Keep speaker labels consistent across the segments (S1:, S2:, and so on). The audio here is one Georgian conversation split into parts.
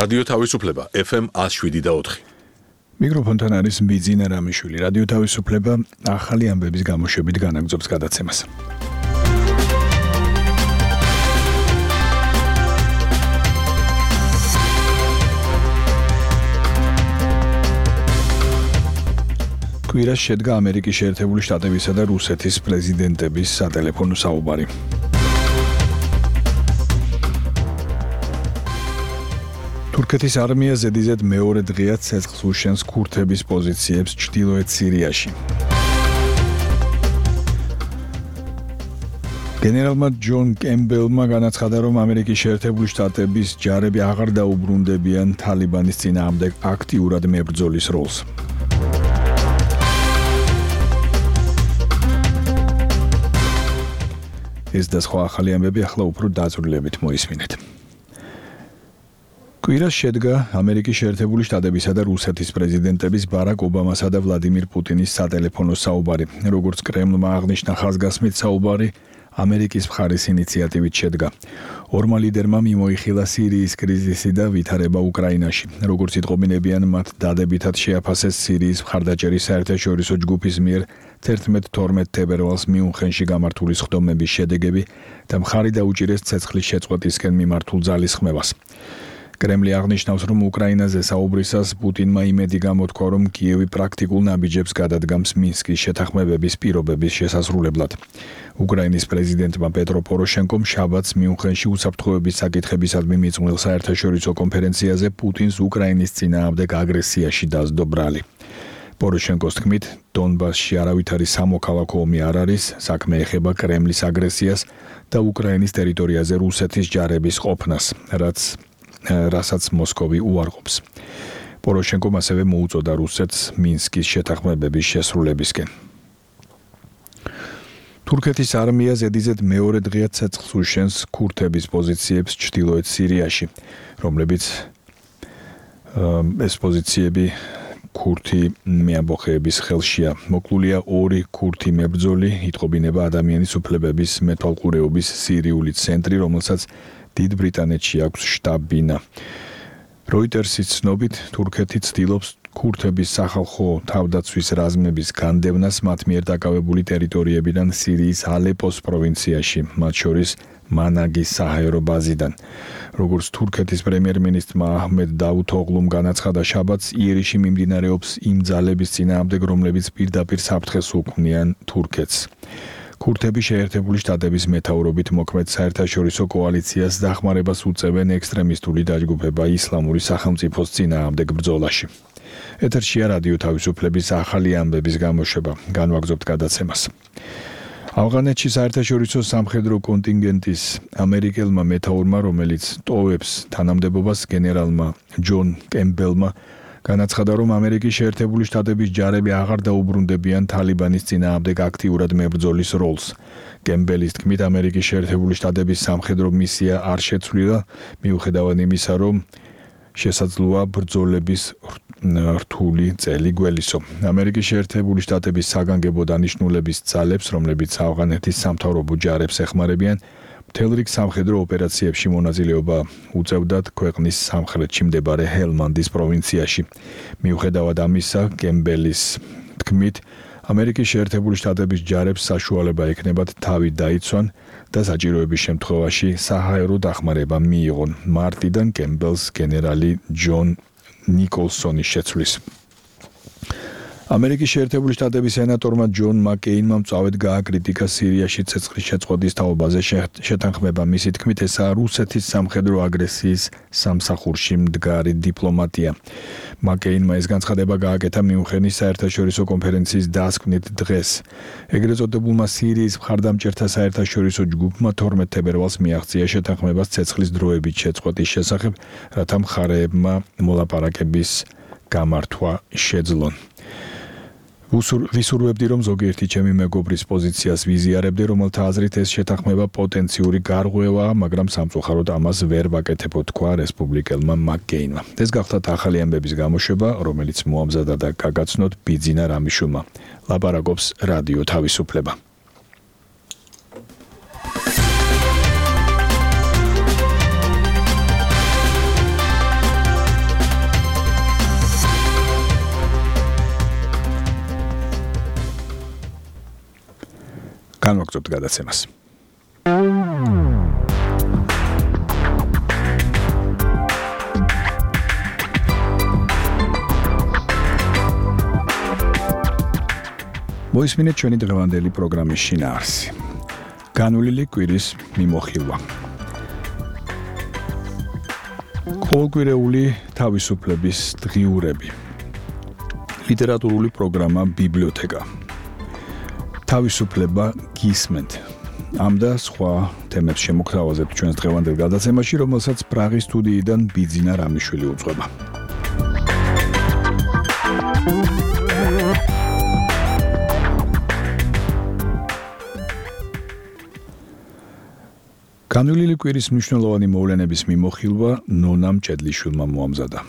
S1: რადიო თავისუფლება FM 107.4.
S2: მიკროფონთან არის ბიძინა რამიშვილი. რადიო თავისუფლება ახალი ამბების გამოშვებით განაგრძობს გადაცემას. კვირას შედგა ამერიკის შეერთებული შტატებისა და რუსეთის პრეზიდენტების სატელეფონო საუბარი. თურქეთის არმია ზედიზედ მეორე დღეა ცეცხლს უშენს ქურთების პოზიციებს ჩრდილოეთ სირიაში. გენერალმა ჯონ კემბელმა განაცხადა, რომ ამერიკის შეერთებული შტატების ჯარები აღარ დაუბრუნდებიან თალიბანის წინააღმდეგ აქტიურად მებრძოლის როლს. ეს და სხვა ახალი ამბები ახლა უფრო დაწვრილებით მოისმინეთ. კვირას შედგა ამერიკის შეერთებული შტატებისა და რუსეთის პრეზიდენტების ბარაკ ობამასა და ვლადიმირ პუტინის სატელეფონო საუბარი. როგორც კრემლმა აღნიშნა, ხაზგასმით საუბარი ამერიკის მხარის ინიციატივით შედგა. ორმა ლიდერმა მიმოიხილა სირიის კრიზისი და ვითარება უკრაინაში. როგორც იტყობინებიან, მათ დადებითად შეაფასეს სირიის მხარდაჭერის საერთაშორისო ჯგუფის მიერ 11-12 თებერვალს მიუნხენში გამართული სხდომების შედეგები და მხარი დაუჭირეს ცეცხლის შეწყვეტისკენ მიმართულ ძალისხმევას. კრემლი აღნიშნავს, რომ უკრაინაზე საუბრისას პუტინმა იმედი გამოთქვა, რომ კიევი პრაქტიკულ ნაბიჯებს გადადგამს მინსკის შეთანხმებების პირობების შესასრულებლად. უკრაინის პრეზიდენტმა პეტრო პოროშენკომ შაბათს მიუნხენში უსაფრთხოების საკითხებისადმი მიწმულ საერთაშორისო კონფერენციაზე პუტინს უკრაინის წინააღმდეგ აგრესიაში დასდო ბრალი. პოროშენკოს თქმით, დონბასში არავითარი სამოქალაქო ომი არ არის, საქმე ეხება კრემლის აგრესიას და უკრაინის ტერიტორიაზე რუსეთის ჯარების ყოფნას, რასაც მოსკოვი უარყოფს. პოროშენკომ ასევე მოუწოდა რუსეთს მინსკის შეთანხმებების შესრულებისკენ. თურქეთის არმია ზედიზედ მეორე დღეა ცეცხლს უშენს ქურთების პოზიციებს ჩრდილოეთ სირიაში, რომლებიც ეს პოზიციები ქურთი მეამბოხეების ხელშია. მოკლულია 2 ქურთი მებრძოლი, იტყობინება ადამიანის უფლებების მეთვალყურეობის სირიული ცენტრი, რომელსაც დიდ ბრიტანეთში აქვს შტაბ-ბინა. როიტერსის ცნობით, თურქეთი ცდილობს ქურთების სახალხო თავდაცვის რაზმების განდევნას მათ მიერ დაკავებული ტერიტორიებიდან სირიის ალეპოს პროვინციაში, მათ შორის მანაგის საჰაერო ბაზიდან. როგორც თურქეთის პრემიერ-მინისტრმა აჰმედ დავუთოღლუმ განაცხადა შაბათს, იერიში მიმდინარეობს იმ ძალების წინააღმდეგ, რომლებიც პირდაპირ საფრთხეს უქმნიან თურქეთს. ქურთები შეერთებული შტატების მეთაურობით მოქმედ საერთაშორისო კოალიციას დახმარებას უწევენ ექსტრემისტული დაჯგუფება ისლამური სახელმწიფოს წინააღმდეგ ბრძოლაში. ეთერშია რადიო თავისუფლების ახალი ამბების გამოშვება. განვაგრძობთ გადაცემას. ავღანეთში საერთაშორისო სამხედრო კონტინგენტის ამერიკელმა მეთაურმა, რომელიც ტოვებს თანამდებობას, გენერალმა ჯონ კემბელმა განაცხადა, რომ ამერიკის შეერთებული შტატების ჯარები აღარ დაუბრუნდებიან თალიბანის წინააღმდეგ აქტიურად მებრძოლის როლს. კემბელის თქმით, ამერიკის შეერთებული შტატების სამხედრო მისია არ შეცვლილა, მიუხედავად იმისა, რომ შესაძლოა ბრძოლების რთული წელი გველისო. ამერიკის შეერთებული შტატების საგანგებო დანიშნულების ძალებს, რომლებიც ავღანეთის სამთავრობო ჯარებს ეხმარებიან, მთელ რიგ სამხედრო ოპერაციებში მონაწილეობა უწევდათ ქვეყნის სამხრეთში მდებარე ჰელმანდის პროვინციაში. მიუხედავად ამისა, კემბელის თქმით, ამერიკის შეერთებული შტატების ჯარებს საშუალება ექნებათ თავი დაიცვან და საჭიროების შემთხვევაში საჰაერო დახმარება მიიღონ. მარტიდან კემბელს გენერალი ჯონ ნიკოლსონის შეცვლის. ამერიკის შეერთებული შტატების სენატორმა ჯონ მაკეინმა მწვავედ გააკრიტიკა სირიაში ცეცხლის შეწყვეტის თაობაზე შეთანხმება. მისი თქმით, ესაა რუსეთის სამხედრო აგრესიის სამსახურში მდგარი დიპლომატია. მაკეინმა ეს განცხადება გააკეთა მიუნხენის საერთაშორისო კონფერენციის დასკვნით დღეს. ეგრეთ წოდებულმა სირიის მხარდამჭერთა საერთაშორისო ჯგუფმა 12 თებერვალს მიაღწია შეთანხმებას ცეცხლის დროებით შეწყვეტის შესახებ, რათა მხარეებმა მოლაპარაკების გამართვა შეძლონ. ვისურვებდი, რომ ზოგიერთი ჩემი მეგობრის პოზიციას ვიზიარებდი, რომელთა აზრით ეს შეთანხმება პოტენციური გარღვევაა, მაგრამ სამწუხაროდ ამას ვერ ვაკეთებ, თქვა რესპუბლიკელმა მაკეინმა. ეს გახლავთ ახალი ამბების გამოშვება, რომელიც მოამზადა და გაგაცნოთ ბიძინა რამიშვილმა. ლაპარაკობს რადიო თავისუფლება. განვაგრძობთ გადაცემას. მოისმინეთ ჩვენი დღევანდელი პროგრამის შინაარსი. განვლილი კვირის მიმოხილვა. ყოველკვირეული თავისუფლების დღიურები. ლიტერატურული პროგრამა ბიბლიოთეკა. თავისუფლება გისმენთ. ამ და სხვა თემებს შემოგთავაზებთ ჩვენს დღევანდელ გადაცემაში, რომელსაც პრაღის სტუდიიდან ბიძინა რამიშვილი უძღვება. განვლილი კვირის მნიშვნელოვანი მოვლენების მიმოხილვა ნონა მჭედლიშვილმა მოამზადა.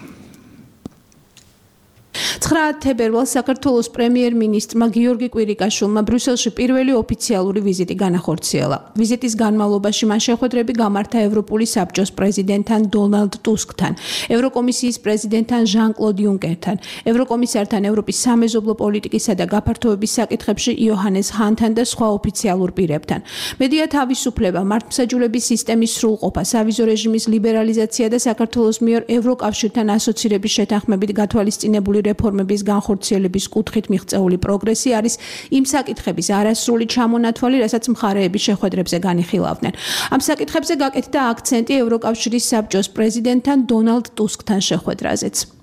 S3: 9 თებერვალს საქართველოს პრემიერ-მინისტრმა გიორგი კვირიკაშვილმა ბრიუსელში პირველი ოფიციალური ვიზიტი განახორციელა. ვიზიტის განმავლობაში მან შეხვედრები გამართა ევროპული საბჭოს პრეზიდენტთან დონალდ ტუსკთან, ევროკომისიის პრეზიდენტთან ჟან-კლოდ იუნკერთან, ევროკომისართან ევროპის სამეზობლო პოლიტიკისა და გაფართოების საკითხებში იოჰანეს ჰანთან და სხვა ოფიციალურ პირებთან. მედია თავისუფლება, მართლმსაჯულების სისტემის სრულყოფა, სავიზო რეჟიმის ლიბერალიზაცია და საქართველოს მიერ ევროკავშირთან ასოცირების შეთანხმებით გათვალისწინებული რეფორმების განხორციელების კუთხით მიღწეული პროგრესი არის იმ საკითხების არასრული ჩამონათვალი, რასაც მხარეები შეხვედრებზე განიხილავდნენ. ამ საკითხებზე გაკეთდა აქცენტი ევროკავშირის საბჭოს პრეზიდენტთან დონალდ ტუსკთან შეხვედრაზეც.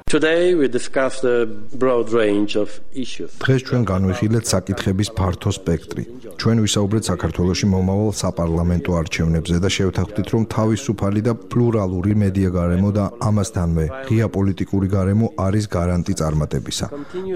S4: Today we discussed a broad range of issues.
S5: დღეს ჩვენ განვიხილეთ საკითხების ფართო სპექტრი. ჩვენ ვისაუბრეთ საქართველოში მომავალ საპარლამენტო არჩევნებზე და შევთანხმდით, რომ თავისუფალი და პლურალური მედია გარემო და ამასთანვე ღია პოლიტიკური გარემო არის გარანტი წარმატებისა.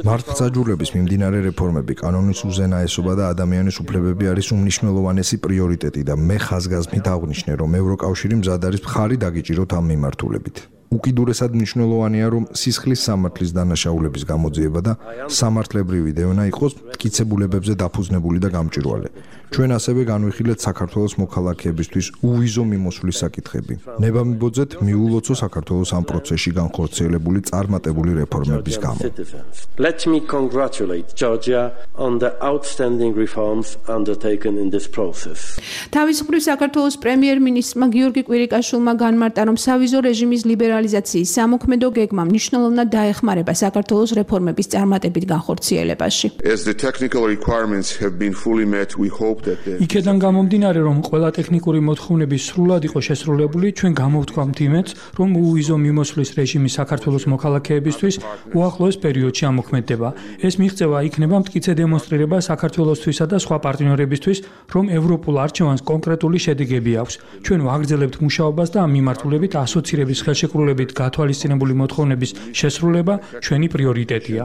S5: მართლმსაჯულების მიმდინარე რეფორმები, კანონის უზენაესობა და ადამიანის უფლებები არის უმნიშვნელოვანესი პრიორიტეტი და მე ხაზგასმით აღვნიშნე, რომ ევროკავშირი მზად არის მხარი დაგიჭიროთ ამ მიმართულებით. უკიდურესად მნიშვნელოვანია, რომ სისხლის სამართლის დანაშაულების გამოძიება და სამართლებრივი დევნა იყოს მტკიცებულებებზე დაფუძნებული და გამჭვირვალე. ჩვენ ასევე განვიხილეთ საქართველოს მოქალაქეებისთვის უვიზო მიმოსვლის საკითხები. ნება მიბოძეთ მიულოცო საქართველოს ამ პროცესში განხორციელებული წარმატებული რეფორმების გამო.
S4: Let me congratulate Georgia on the outstanding reforms undertaken in this process.
S3: თავის მხრივ საქართველოს პრემიერ-მინისტრმა გიორგი კვირიკაშვილმა განმარტა, რომ სავიზო რეჟიმის ლიბერალიზაციის სამოქმედო გეგმა მნიშვნელოვნად დაეხმარება საქართველოს რეფორმების წარმატებით განხორციელებაში.
S6: As the technical requirements have been fully met, we hope that
S7: იქედან გამომდინარე, რომ ყველა ტექნიკური მოთხოვნები სრულად იყო შესრულებული, ჩვენ გამოვთქვამთ იმედს, რომ უვიზო მიმოსვლის რეჟიმი საქართველოს მოქალაქეებისთვის უახლოეს პერიოდში ამოქმედდება. ეს მიღწევა იქნება მტკიცე დემონსტრირება საქართველოსთვისა და სხვა პარტნიორებისთვის, რომ ევროპულ არჩევანს კონკრეტული შედეგები აქვს. ჩვენ ვაგრძელებთ მუშაობას და ამ მიმართულებით ასოცირების ხელშეკრულებით გათვალისწინებული მოთხოვნების შესრულება ჩვენი პრიორიტეტია.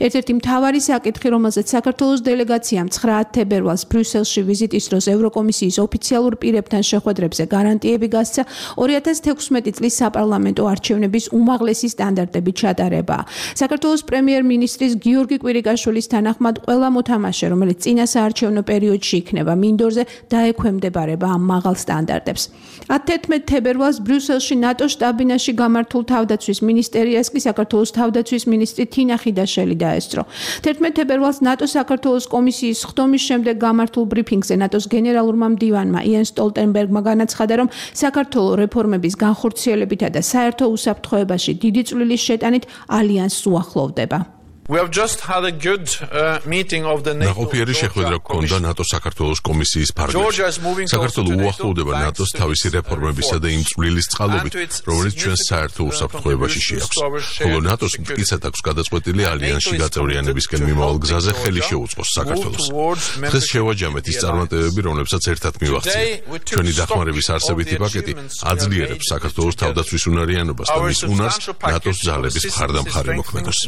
S3: ერთ-ერთი მთავარი საკითხი, რომელზეც საქართველოს დელეგაციამ 9 თებერვალს ბრიუსელში ვიზიტის დროს ევროკომისიის ოფიციალურ პირებთან შეხვედრებზე გარანტიები გასცა, 2016 წლის საპარლამენტო არჩევნების უმაღლესი სტანდარტებით ჩატარებაა. საქართველოს პრემიერ-მინისტრის გიორგი კვირიკაშვილის თანახმად ყველა მოთამაშე, რომელიც წინა საარჩევნო პერიოდში იქნება მინდორზე, დაექვემდებარება ამ მაღალ სტანდარტებს. 11 თებერვალს ბრიუსელში ნატოს შტაბ-ბინაში გამართულ თავდაცვის მინისტერიას კი საქართველოს თავდაცვის მინისტრი თინა ხიდაშელი დაესწრო. 11 თებერვალს ნატოს საქართველოს კომისიის ხდომის შემდეგ გამართულ ბრიფინგზე ნატოს გენერალურმა მდივანმა იენ სტოლტენბერგმა განაცხადა, რომ საქართველოს რეფორმების განხორციელებითა და საერთო უსაფრთხოებაში დიდი წვლილის შეტანით ალიანსს უახლოვდება.
S1: ნაყოფიერი შეხვედრა გქონდა ნატო საქართველოს კომისიის ფარგლებში. საქართველო უახლოვდება ნატოს თავისი რეფორმებისა და იმ წვლილის წყალობით, რომელიც ჩვენს საერთო უსაფრთხოებაში შეაქვს. ხოლო ნატოს მტკიცედ აქვს გადაწყვეტილი ალიანსში გაწევრიანებისკენ მიმავალ გზაზე ხელი შეუწყოს საქართველოს. დღეს შევაჯამეთ ის წარმატებები, რომლებსაც ერთად მივაღწია. ჩვენი დახმარების არსებითი პაკეტი აძლიერებს საქართველოს თავდაცვის უნარიანობას და მის უნარს ნატოს ძალების მხარდამხარი მოქმედოს.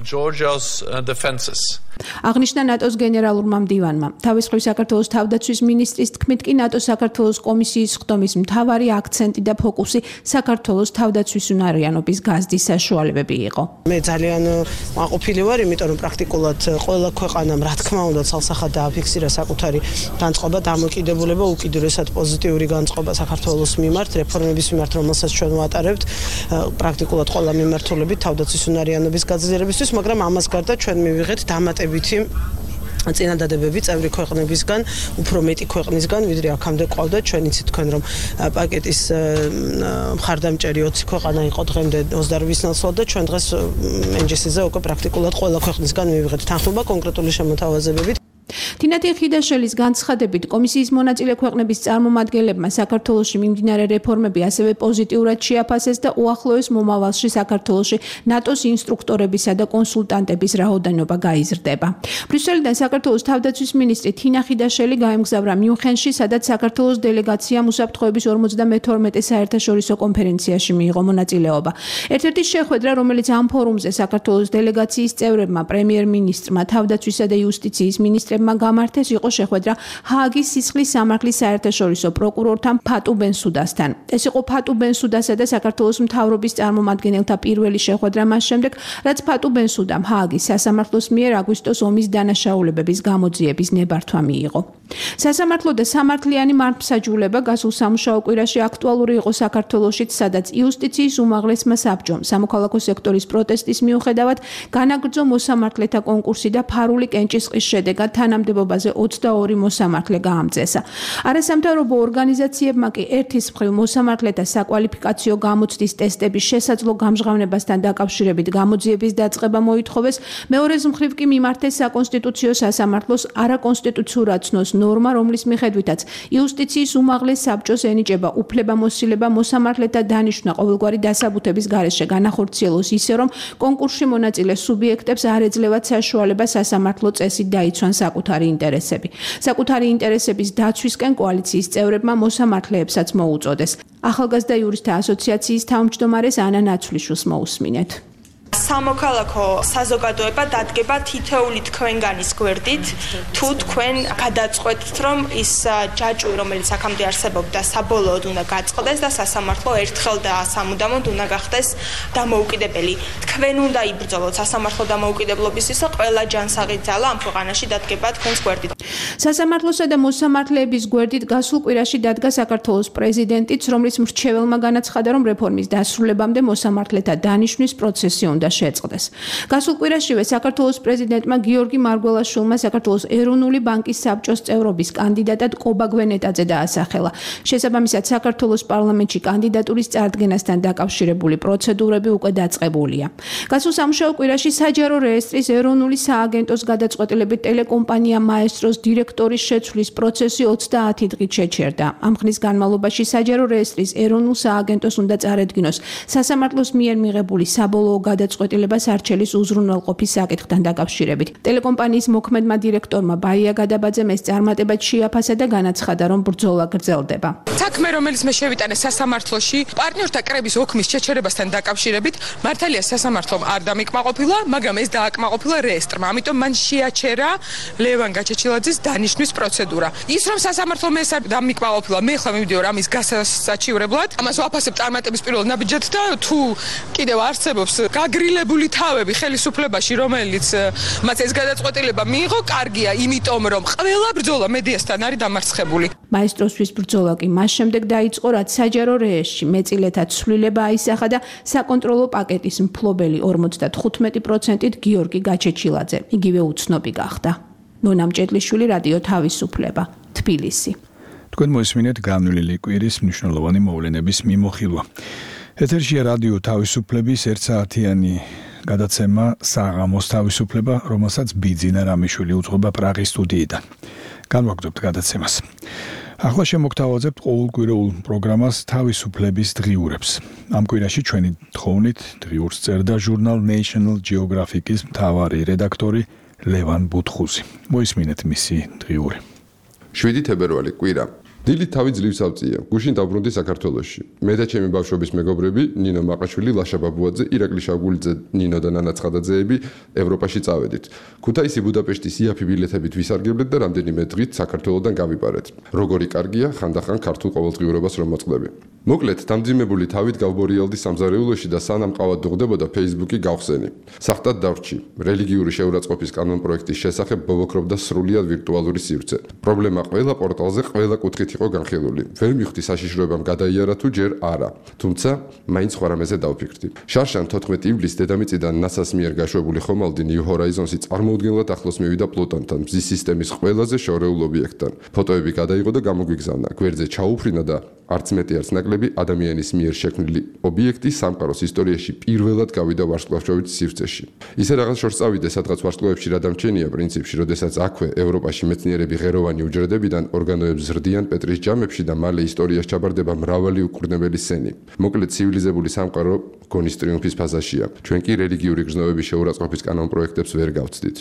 S3: აღნიშნა ნატოს გენერალურმა მდივანმა. თავის მხრივ საქართველოს თავდაცვის მინისტრის თქმით კი ნატოს საქართველოს კომისიის ხდომის მთავარი აქცენტი და ფოკუსი საქართველოს თავდაცვის უნარიანობის გაზრდის საშუალებები იყო.
S8: მე ძალიან მაყოფილი ვარ, იმიტომ რომ პრაქტიკულად ყველა ქვეყანამ რა თქმა უნდა ცალსახად დააფიქსირა საკუთარი განწყობა, დამოკიდებულება, უკიდურესად პოზიტიური განწყობა საქართველოს მიმართ, რეფორმების მიმართ, რომელსაც ჩვენ ვატარებთ, პრაქტიკულად ყველა მიმართულებით თავდაცვის უნარიანობის გაძლიერებისთვის, მაგრამ ამას გარდა და ჩვენ მივიღეთ დამატებითი წინადადებები წევრი ქვეყნებისგან, უფრო მეტი ქვეყნისგან, ვიდრე აქამდე ყავდა. ჩვენ იცით თქვენ რომ პაკეტის მხარდამჭერი 20 ქვეყანა იყო დღემდე 28 ნაცვლად და ჩვენ დღეს NGC-ზე უკვე პრაქტიკულად ყველა ქვეყნისგან მივიღეთ თანხმობა კონკრეტული შემოთავაზებებით.
S3: თინათი ხიდაშელის განცხადებით კომისიის მონაწილე ქვეყნების წარმომადგენლებმა საქართველოში მიმდინარე რეფორმები ასევე პოზიტიურად შეაფასეს და უახლოეს მომავალში საქართველოში ნატოს ინსტრუქტორებისა და კონსულტანტების რაოდენობა გაიზრდება. ბრიუსელიდან საქართველოს თავდაცვის მინისტრი თინა ხიდაშელი გაემგზავრა მიუნხენში, სადაც საქართველოს დელეგაციამ უსაფრთხოების 52 საერთაშორისო კონფერენციაში მიიღო მონაწილეობა. ერთ-ერთი შეხვედრა, რომელიც ამ ფორუმზე საქართველოს დელეგაციის წევრებმა, პრემიერ-მინისტრმა, თავდაცვისა და იუსტიციის მინისტრებმა გამართეს იყო შეხვედრა ჰააგის სისხლის სამართლის საერთაშორისო პროკურორთან ფატუ ბენსუდასთან. ეს იყო ფატუ ბენსუდასა და საქართველოს მთავრობის წარმომადგენელთა პირველი შეხვედრა მას შემდეგ, რაც ფატუ ბენსუდამ ჰააგის სასამართლოს მიერ აგვისტოს ომის დანაშაულებების გამოძიების ნებართვა მიიღო. სასამართლო და სამართლიანი მართლმსაჯულება გასულ სამუშაო კვირაში აქტუალური იყო საქართველოშიც, სადაც იუსტიციის უმაღლესმა საბჭომ სამოქალაქო სექტორის პროტესტის მიუხედავად განაგრძო მოსამართლეთა კონკურსი და ფარული კენჭისყრის შედეგად თანამდებობაზე 22 მოსამართლე გაამწესა. არასამთავრობო ორგანიზაციებმა კი ერთის მხრივ მოსამართლეთა საკვალიფიკაციო გამოცდის ტესტების შესაძლო გამჟღავნებასთან დაკავშირებით გამოძიების დაწყება მოითხოვეს, მეორეს მხრივ კი მიმართეს საკონსტიტუციო სასამართლოს არაკონსტიტუციურად ცნოს ნორმა, რომლის მიხედვითაც იუსტიციის უმაღლეს საბჭოს ენიჭება უფლებამოსილება მოსამართლეთა დანიშვნა ყოველგვარი დასაბუთების გარეშე განახორციელოს ისე, რომ კონკურსში მონაწილე სუბიექტებს არ ეძლევათ საშუალება სასამართლო წესით დაიცვან საკუთარი ინტერესები. საკუთარი ინტერესების დაცვისკენ კოალიციის წევრებმა მოსამართლეებსაც მოუწოდეს. ახალგაზრდა იურისტთა ასოციაციის თავმჯდომარეს ანა ნაცვლიშვილს მოусმინეთ.
S9: სამოქალაქო საზოგადოება დადგება თითოეული თქვენგანის გვერდით, თუ თქვენ გადაწყვეტთ, რომ ის ჯაჭვი, რომელიც აქამდე არსებობდა, საბოლოოდ უნდა გაწყდეს და სასამართლო ერთხელ და სამუდამოდ უნდა გახდეს დამოუკიდებელი. თქვენ უნდა იბრძოლოთ სასამართლო დამოუკიდებლობისისა, ყველა ჯანსაღი ძალა ამ ქვეყანაში დადგება თქვენს გვერდით.
S3: სასამართლოსა და მოსამართლეების გვერდით გასულ კვირაში დადგა საქართველოს პრეზიდენტიც, რომლის მრჩეველმა განაცხადა, რომ რეფორმის დასრულებამდე მოსამართლეთა დანიშვნის პროცესი უნდა შეწყდეს. გასულ კვირაშივე საქართველოს პრეზიდენტმა გიორგი მარგველაშვილმა საქართველოს ეროვნული ბანკის საბჭოს წევრობის კანდიდატად კობა გვენეტაძე დაასახელა. შესაბამისად, საქართველოს პარლამენტში კანდიდატურის წარდგენასთან დაკავშირებული პროცედურები უკვე დაწყებულია. გასულ სამუშაო კვირაში საჯარო რეესტრის ეროვნული სააგენტოს გადაწყვეტილებით ტელეკომპანია მაესტროს დირექტორის შეცვლის პროცესი 30 დღით შეჩერდა. ამ ხნის განმავლობაში საჯარო რეესტრის ეროვნულ სააგენტოს უნდა წარედგინოს სასამართლოს მიერ მიღებული საბოლოო გადაწყვეტილება სარჩელის უზრუნველყოფის საკითხთან დაკავშირებით. ტელეკომპანიის მოქმედმა დირექტორმა ბაია გადაბაძემ ეს წარმატებად შეაფასა და განაცხადა, რომ ბრძოლა გრძელდება.
S10: საქმე, რომელიც მე შევიტანე სასამართლოში, პარტნიორთა კრების ოქმის შეჩერებასთან დაკავშირებით, მართალია სასამართლომ არ დამიკმაყოფილა, მაგრამ ეს დააკმაყოფილა რეესტრმა. ამიტომ მან შეაჩერა ლევან გაჩეჩილაძის დანიშვნის პროცედურა. ის რომ სასამართლომ ეს არ დამიკმაყოფილა, მე ხლა მივიდიო ამის გასაჩივრებლად. ამას ვაფასებ წარმატების პირველ ნაბიჯად და თუ კიდევ არსებობს გაგრილებული თავები ხელისუფლებაში, რომელიც მას ეს გადაწყვეტილება მიიღო, კარგია, იმიტომ რომ ყველა ბრძოლა მედიასთან არის დამარცხებული.
S3: მაესტროსთვის ბრძოლა კი მას შემდეგ დაიწყო, რაც საჯარო რეესტრში მეწილეთა ცვლილება აისახა და საკონტროლო პაკეტის მფლობელი 55%-ით გიორგი გაჩეჩილაძე იგივე უცნობი გახდა. ნონა მჭედლიშვილი, რადიო თავისუფლება, თბილისი.
S2: თქვენ მოისმინეთ განვლილი კვირის მნიშვნელოვანი მოვლენების მიმოხილვა. ეთერშია რადიო თავისუფლების ერთსაათიანი გადაცემა საღამოს თავისუფლება, რომელსაც ბიძინა რამიშვილი უძღვება პრაღის სტუდიიდან. განვაგრძობთ გადაცემას. ახლა შემოგთავაზებთ ყოველკვირეულ პროგრამას თავისუფლების დღიურებს. ამ კვირაში ჩვენი თხოვნით დღიურს წერდა ჟურნალ National Geographic-ის მთავარი რედაქტორი ლევან ბუთხუზი. მოისმინეთ მისი დღიური.
S11: 7 თებერვალი კვირა. დილით თავი ძლივს ავწია. გუშინ დავბრუნდი საქართველოში. მე და ჩემი ბავშვობის მეგობრები, ნინო მაყაშვილი, ლაშა ბაბუაძე, ირაკლი შავგულიძე, ნინო და ნანა ცხადაძეები ევროპაში წავედით. ქუთაისი ბუდაპეშტის იაფი ბილეთებით ვისარგებლეთ და რამდენიმე დღით საქართველოდან გავიპარეთ. როგორი კარგია ხანდახან ქართულ ყოველდღიურობას რომ მოწყდები. მოკლედ, დამძიმებული თავით გავბორიალდი სამზარეულოში და სანამ ყავად დუღდებოდა Facebook-ი გავხსენი. სახტად დავრჩი. რელიგიური შეურაცხყოფის კანონპროექტის შესახებ ბობოქრობდა სრულიად ვირტუალური სივრცე. პრობლემა ყველა პორტალზე ყველა კუთხით იყო განხილული. ვერ მივხვდი საშიშროებამ გადაიარა თუ ჯერ არა. თუმცა მაინც სხვა რამეზე დავფიქრდი. შარშან 14 ივლისს დედამიწიდან NASA-ს მიერ გაშვებული ხომალდი New Horizons-ი წარმოუდგენლად ახლოს მივიდა პლუტონთან, მზის სისტემის ყველაზე შორეულ ობიექტთან. ფოტოები გადაიღო და გამოგვიგზავნა. გვერდზე ჩაუფრინა და არც მეტი არც ნაკლები ადამიანის მიერ შექმნილი ობიექტი სამყაროს ისტორიაში პირველად გავიდა ვარსკვლავშობით სივრცეში. ისე რაღაც შორს წავიდე, სადღაც ვარსკვლავებში რა დამჩენია პრინციპში, როდესაც აქვე ევროპაში მეცნიერები ღეროვანი უჯრედებიდან ორგანოებს ზრდიან პეტრის ჯამებში და მალე ისტორიაში ჩაბარდება მრავალი უკურნებელი სცენი. მოკლედ ცივილიზებული სამყარო გონის ტრიუმფის ფაზაშია. ჩვენ კი რელიგიური გრძნობების შეურაცხყოფის კანონპროექტებს ვერ გავცდით.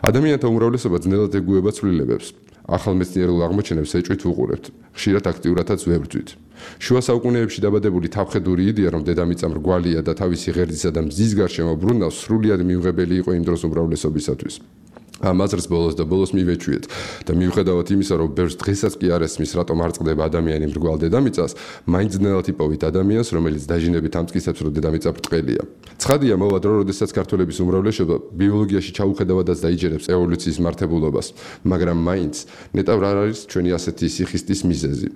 S11: ადამიანთა უმრავლესობა ძნელად ეგუება ცვლილებებს. ახალ მეცნიერულ აღმოჩენებს ეჭვით ვუყურებთ, ხშირად აქტიურადაც ვებრძვით. შუა საუკუნეებში დაბადებული თავხედური იდეა, რომ დედამიწა მრგვალია და თავისი ღერძისა და მზის გარშემო ბრუნავს, სრულიად მიუღებელი იყო იმ დროს უმრავლესობისათვის. ამ აზრს ბოლოს და ბოლოს მივეჩვიეთ და მიუხედავად იმისა, რომ ბევრს დღესაც კი არ ესმის, რატომ არ წყდება ადამიანი მრგვალ დედამიწას, მაინც ძნელად იპოვით ადამიანს, რომელიც დაჟინებით ამტკიცებს, რომ დედამიწა ბრტყელია. ცხადია, მოვა დრო, როდესაც ქართველების უმრავლესობა ბიოლოგიაში ჩაუხედავადაც დაიჯერებს ევოლუციის მართებულობას, მაგრამ მაინც ნეტავ არ არის ჩვენი ასეთი სიხისტის მიზეზი.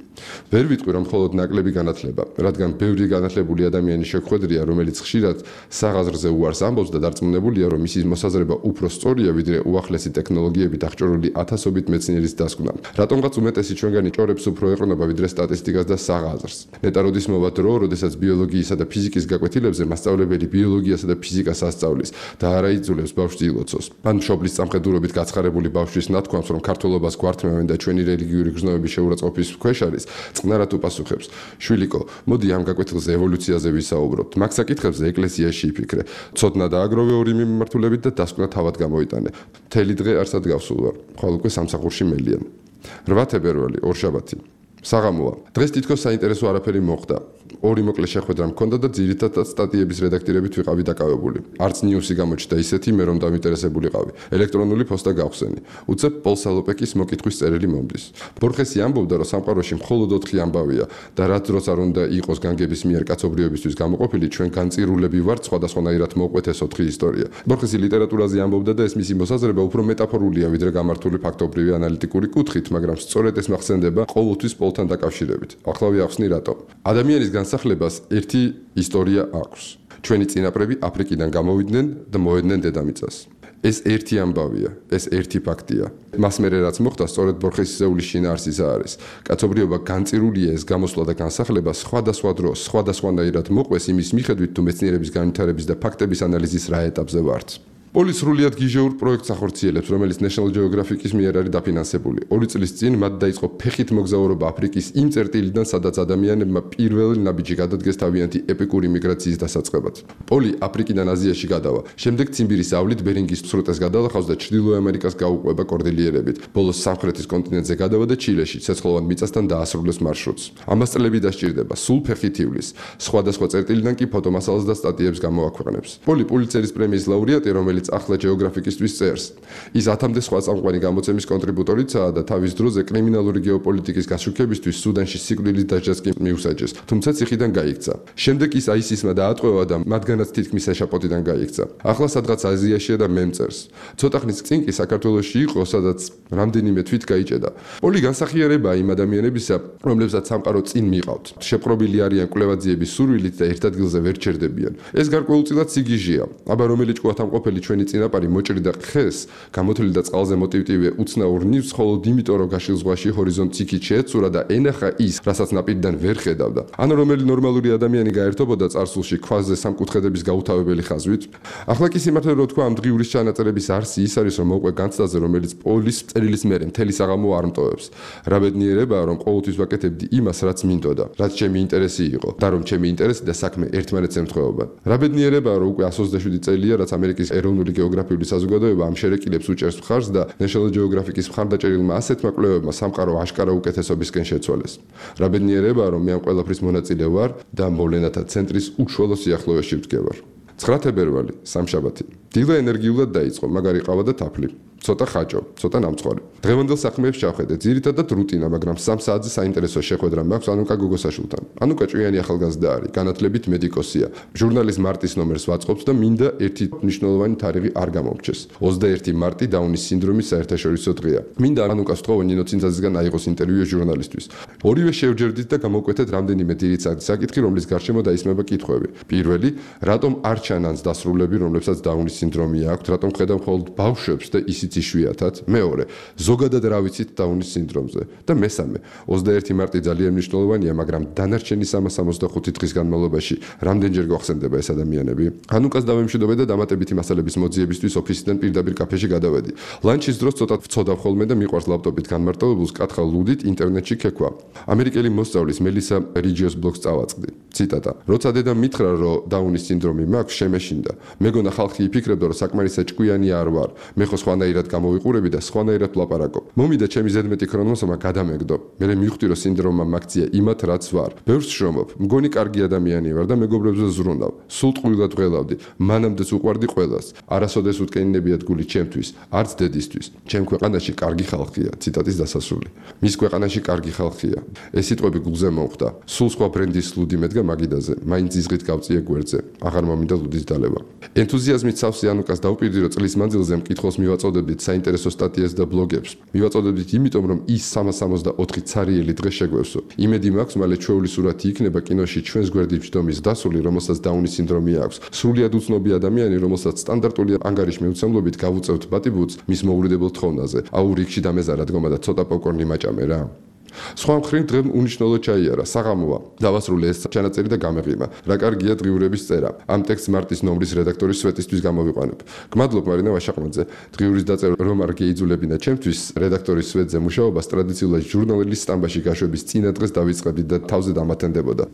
S11: ვერ ვიტყვი, რომ მხოლოდ ნაკლები განათლება, რადგან ბევრი განათლებული ადამიანი შეხვედრია, რომელიც ხშირად საღაზრზე უარს ამბობს და დარწმუნებულია, რომ მისი მოსაზრება უფრო სწორია, ვიდრე უახლესი ტექნოლოგიებით აღჭურვილი ათასობით მეცნიერის დასკვნა. რატომღაც უმეტესი ჩვენგანი ჭორებს უფრო ეყრდნობა ვიდრე სტატისტიკას და საღაზრს. ნეტა როდის მოვა დრო, როდესაც ბიოლოგიისა და ფიზიკის გაკვეთილებზე მასწავლებელი ბიოლოგიასა და ფიზიკას ასწავლის და არა იძულებს ბავშვს ილოცოს. ან მშობლის სამხედროებით გაცხარებული ბავშვის ნათქვამს, რომ ქართველობას გვართმევენ და ჩვენი რელიგიური გრძნობების შეურაცხყოფის ქვეშ არის, წყნარად უპასუხებს. შვილიკო, მოდი ამ გაკვეთილზე ევოლუციაზე ვისაუბროთ. მაგ საკითხებზე ეკლესიაში იფიქრე. ცოდნა დააგროვე ორი მიმართულებით და დასკვნა თავად გამოიტანე. მთელი დღე არსად გავსულ ვარ, ხვალ უკვე სამსახურში მელიან. 8 თებერვალი, ორშაბათი. საღამოა. დღეს თითქოს საინტერესო არაფერი მოხდა. ორი მოკლე შეხვედრა მქონდა და ძირითადად სტატიების რედაქტირებით ვიყავი დაკავებული. არც ნიუსი გამოჩნდა ისეთი, მე რომ დამინტერესებულიყავი. ელექტრონული პოსტა გავხსენი. უცებ პოლ სალოპეკის მოკითხვის წერილი მომდის. ბორხესი ამბობდა, რომ სამყაროში მხოლოდ 4 ამბავია და რაც დროს არ უნდა იყოს განგების მიერ კაცობრიობისთვის გამოყოფილი, ჩვენ განწირულები ვართ სხვადასხვანაირად მოყვეთ ეს 4 ისტორია. ბორხესი ლიტერატურაზე ამბობდა და ეს მისი მოსაზრება უფრო მეტაფორულია, ვიდრე გამართული ფაქტობრივი ანალიტიკური კუთხით, მაგრამ სწორედ ეს მახსენდება ყოველთვის პოლთან დაკავშირებით. ახლა ვიახსნი რატომ. ადამიანის განსახლებას ერთი ისტორია აქვს. ჩვენი წინაპრები აფრიკიდან გამოვიდნენ და მოედნენ დედამიწას. ეს ერთი ამბავია, ეს ერთი ფაქტია. მას მერე რაც მოხდა, სწორედ ბორხესისეულის შინაარსის არის. კაცობრიობა განწირულია ეს გამოსვლა და განსახლება სხვადასხვა დროს, სხვადასხვანაირად მოყვეს იმის მიხედვით, თუ მეცნიერების განვითარების და ფაქტების ანალიზის რა ეტაპზე ვართ. პოლი სრულიად გიჟეურ პროექტს ახორციელებს, რომელიც National Geographic-ის მიერ არის დაფინანსებული. 2 წლის წინ მათ დაიწყო ფეხით მოგზაურობა აფრიკის იმ წერტილიდან, სადაც ადამიანებმა პირველი ნაბიჯი გადადგეს თავიანთი ეპიკური მიგრაციის დასაწყებად. პოლი აფრიკიდან აზიაში გადავა. შემდეგ ციმბირის ავლით ბერინგის სრუტეს გადალახავს და ჩრდილო ამერიკას გაუყვება კორდილიერებით. ბოლოს სამხრეთის კონტინენტზე გადავა და ჩილეში ცეცხლოვან მიწასთან დაასრულებს მარშრუტს. ამას წლები დასჭირდება, სულ ფეხით ივლის. სხვადასხვა წერტილიდან კი ფოტომასალას და სტატიებს გამოაქვეყნებს. პოლი პულიცერის პრემიის ლაურეატი, რომელიც ახლა ჯეოგრაფიკისტვის წერს. ის 1000-მდე სხვა წამყვანი გამოცემის კონტრიბუტორიცაა და თავის დროზე კრიმინალური გეოპოლიტიკის გაშუქებისთვის სუდანში სიკვდილის დასჯას კი მიუსაჯეს, თუმცა ციხიდან გაიქცა. შემდეგ ის ISIS-მა დაატყვევა და მათგანაც თითქმის ეშაპოტიდან გაიქცა. ახლა სადღაც აზიაშია და მემწერს. ცოტა ხნის წინ კი საქართველოში იყო, სადაც რამდენიმე თვით გაიჭედა. პოლი განსახიერებაა იმ ადამიანებისა, რომლებსაც სამყარო წინ მიყავთ. შეპყრობილი არიან კვლევაძიების სურვილით და ერთ ადგილზე ვერ ჩერდებიან. ეს გარკვეულწილად სიგიჟეა. აბა რომელი ჭკუათამყოფელი ჩვენი წინაპარი მოჭრიდა ხეს, გამოთვლილი და წყალზე მოტივტივე უცნაურ ნივთს, ხოლო იმიტომ რომ გაშილ ზღვაში ჰორიზონტს იქით შეეცურა და ენახა ის, რასაც ნაპირიდან ვერ ხედავდა. ან რომელი ნორმალური ადამიანი გაერთობოდა წარსულში ქვაზე სამკუთხედების გაუთავებელი ხაზვით. ახლა კი სიმართლე რო თქვა, ამ დღიურის ჩანაწერების არსი ის არის, რომ მოყვე განცდაზე, რომელიც პოლის წერილის მერე მთელი საღამო არ მტოვებს. რა ბედნიერებაა, რომ ყოველთვის ვაკეთებდი იმას, რაც მინდოდა, რაც ჩემი ინტერესი იყო და რომ ჩემი ინტერესი და საქმე ერთმანეთს ემთხვეობა. რა ბედნიერებაა, რომ უკვე 127 წელია, რაც ამერიკის ეროვნული გეოგრაფიული საზოგადოება ამ შერეკილებს უჭერს მხარს და National Geographic-ის მხარდაჭერილმა ასეთმა კვლევებმა სამყარო აშკარა უკეთესობისკენ შეცვალეს. რა ბედნიერებაა, რომ მე ამ ყველაფრის მონაწილე ვარ და მოვლენათა ცენტრის უშუალო სიახლოვეში ვდგევარ. 9 თებერვალი, სამშაბათი. დილა ენერგიულად დაიწყო, მაგარი ყავა და თაფლი. ცოტა ხაჭო, ცოტა ნამწყარი. დღევანდელ საქმეებს ჩავხედეთ, ძირითადად რუტინა, მაგრამ 3 საათზე საინტერესო შეხვედრა მაქვს ანუკა გოგოსაშვილთან. ანუკა ჭვიანი ახალგაზრდა არის, განათლებით მედიკოსია. ჟურნალის მარტის ნომერს ვაწყობს და მინდა ერთი მნიშვნელოვანი თარიღი არ გამომრჩეს. 21 მარტი დაუნის სინდრომის საერთაშორისო დღეა. მინდა ანუკას ვთხოვო ნინო წინძაძისგან აიღოს ინტერვიუ ჟურნალისტვის. ორივე შევჯერდით და გამოვკვეთეთ რამდენიმე ძირითადი საკითხი, რომლის გარშემო დაისმება კითხვები. პირველი, რატომ არ ჩანანს დასრულები, რომლებსაც დაუნის სინდრომი აქვს, რატომ ხედავ მხოლოდ ბავშვებს და ისიც იშვიათად? მეორე, ზოგადად რა ვიცით დაუნის სინდრომზე? და მესამე, 21 მარტი ძალიან მნიშვნელოვანია, მაგრამ დანარჩენი 365 დღის განმავლობაში რამდენჯერ გვახსენდება ეს ადამიანები? ანუკას დავემშვიდობე და დამატებითი მასალების მოძიებისთვის ოფისიდან პირდაპირ კაფეში გადავედი. ლანჩის დროს ცოტა ვცოდავ ხოლმე და მიყვარს ლაპტოპით განმარტოებულს კითხავ ლუდით ინტერნეტში ქექვა. ამერიკელი მოსწავლის მელისა რიჯიოს ბლოგს წავაწყდი. ციტატა: როცა დედამ მითხრა, რომ დაუნის სინდრომი მაქვს, შემეშინდა. მეგონა ხალხი იფიქრებდა, რომ საკმარისად ჭკვიანი არ ვარ. მე ხო სხვანაირად გამოვიყურები და სხვანაირად ვლაპარაკობ. მომიდა ჩემი ზედმეტი ქრონოსომა გადამეგდო. მე მივხვდი, რომ სინდრომმა მაგცია იმათ, რაც ვარ. ბევრს შრომობ. მგონი კარგი ადამიანი ვარ და მეგობრებზე ზრუნავ. სულ ტყუილად ღელავდი. მანამდეც უყვარდი ყველას. არასოდეს უთქენინებიათ გული ჩემთვის, არც დედისთვის. ჩემ ქვეყანაში კარგი ხალხია. ციტატის დასასრული. მის ქვეყანაში კარგი ხალხია. ეს სიტყვები გულზე მომხვდა. სულ სხვა ბრენდის ლუდი მედგა მაგიდაზე. მაინც იზღით გავწიე გვერდზე. აღარ მომინდა ლუდის დალევა. ენთუზიაზმით სავსე ანუკას დავუპირდი, რომ წლის მანძილზე მკითხველს მივაწოდებდით საინტერესო სტატიებს და ბლოგებს. მივაწოდებდით იმიტომ, რომ ის 364 ცარიელი დღე შეგვევსო. იმედი მაქვს, მალე ჩვეული სურათი იქნება კინოში ჩვენს გვერდით ჯდომის დასული, რომელსაც დაუნის სინდრომი აქვს. სრულიად უცნობი ადამიანი, რომელსაც სტანდარტული ანგარიშმეუცემლობით გავუწევთ ბატიბუც მის მოურიდებელ თხოვნაზე. აუ რიგში დამეზარა დგომა და ცოტა პოპკორნი მაჭამე რა. სხვა მხრივ დღემ უნიშნელო ჩაიარა, საღამოა. დავასრულე ეს ჩანაწერი და გამეღიმა. რა კარგია დღიურების წერა. ამ ტექსტს მარტის ნომრის რედაქტორის სვეტისთვის გამოვიყვანებ. გმადლობ მარინა ვაშაყმაძე. დღიურის დაწერა რომ არ გეიძულებინა ჩემთვის რედაქტორის სვეტზე მუშაობას ტრადიციულად ჟურნალის სტამბაში გაშვების წინა დღეს დავიწყებდი და თავზე დამათენდებოდა.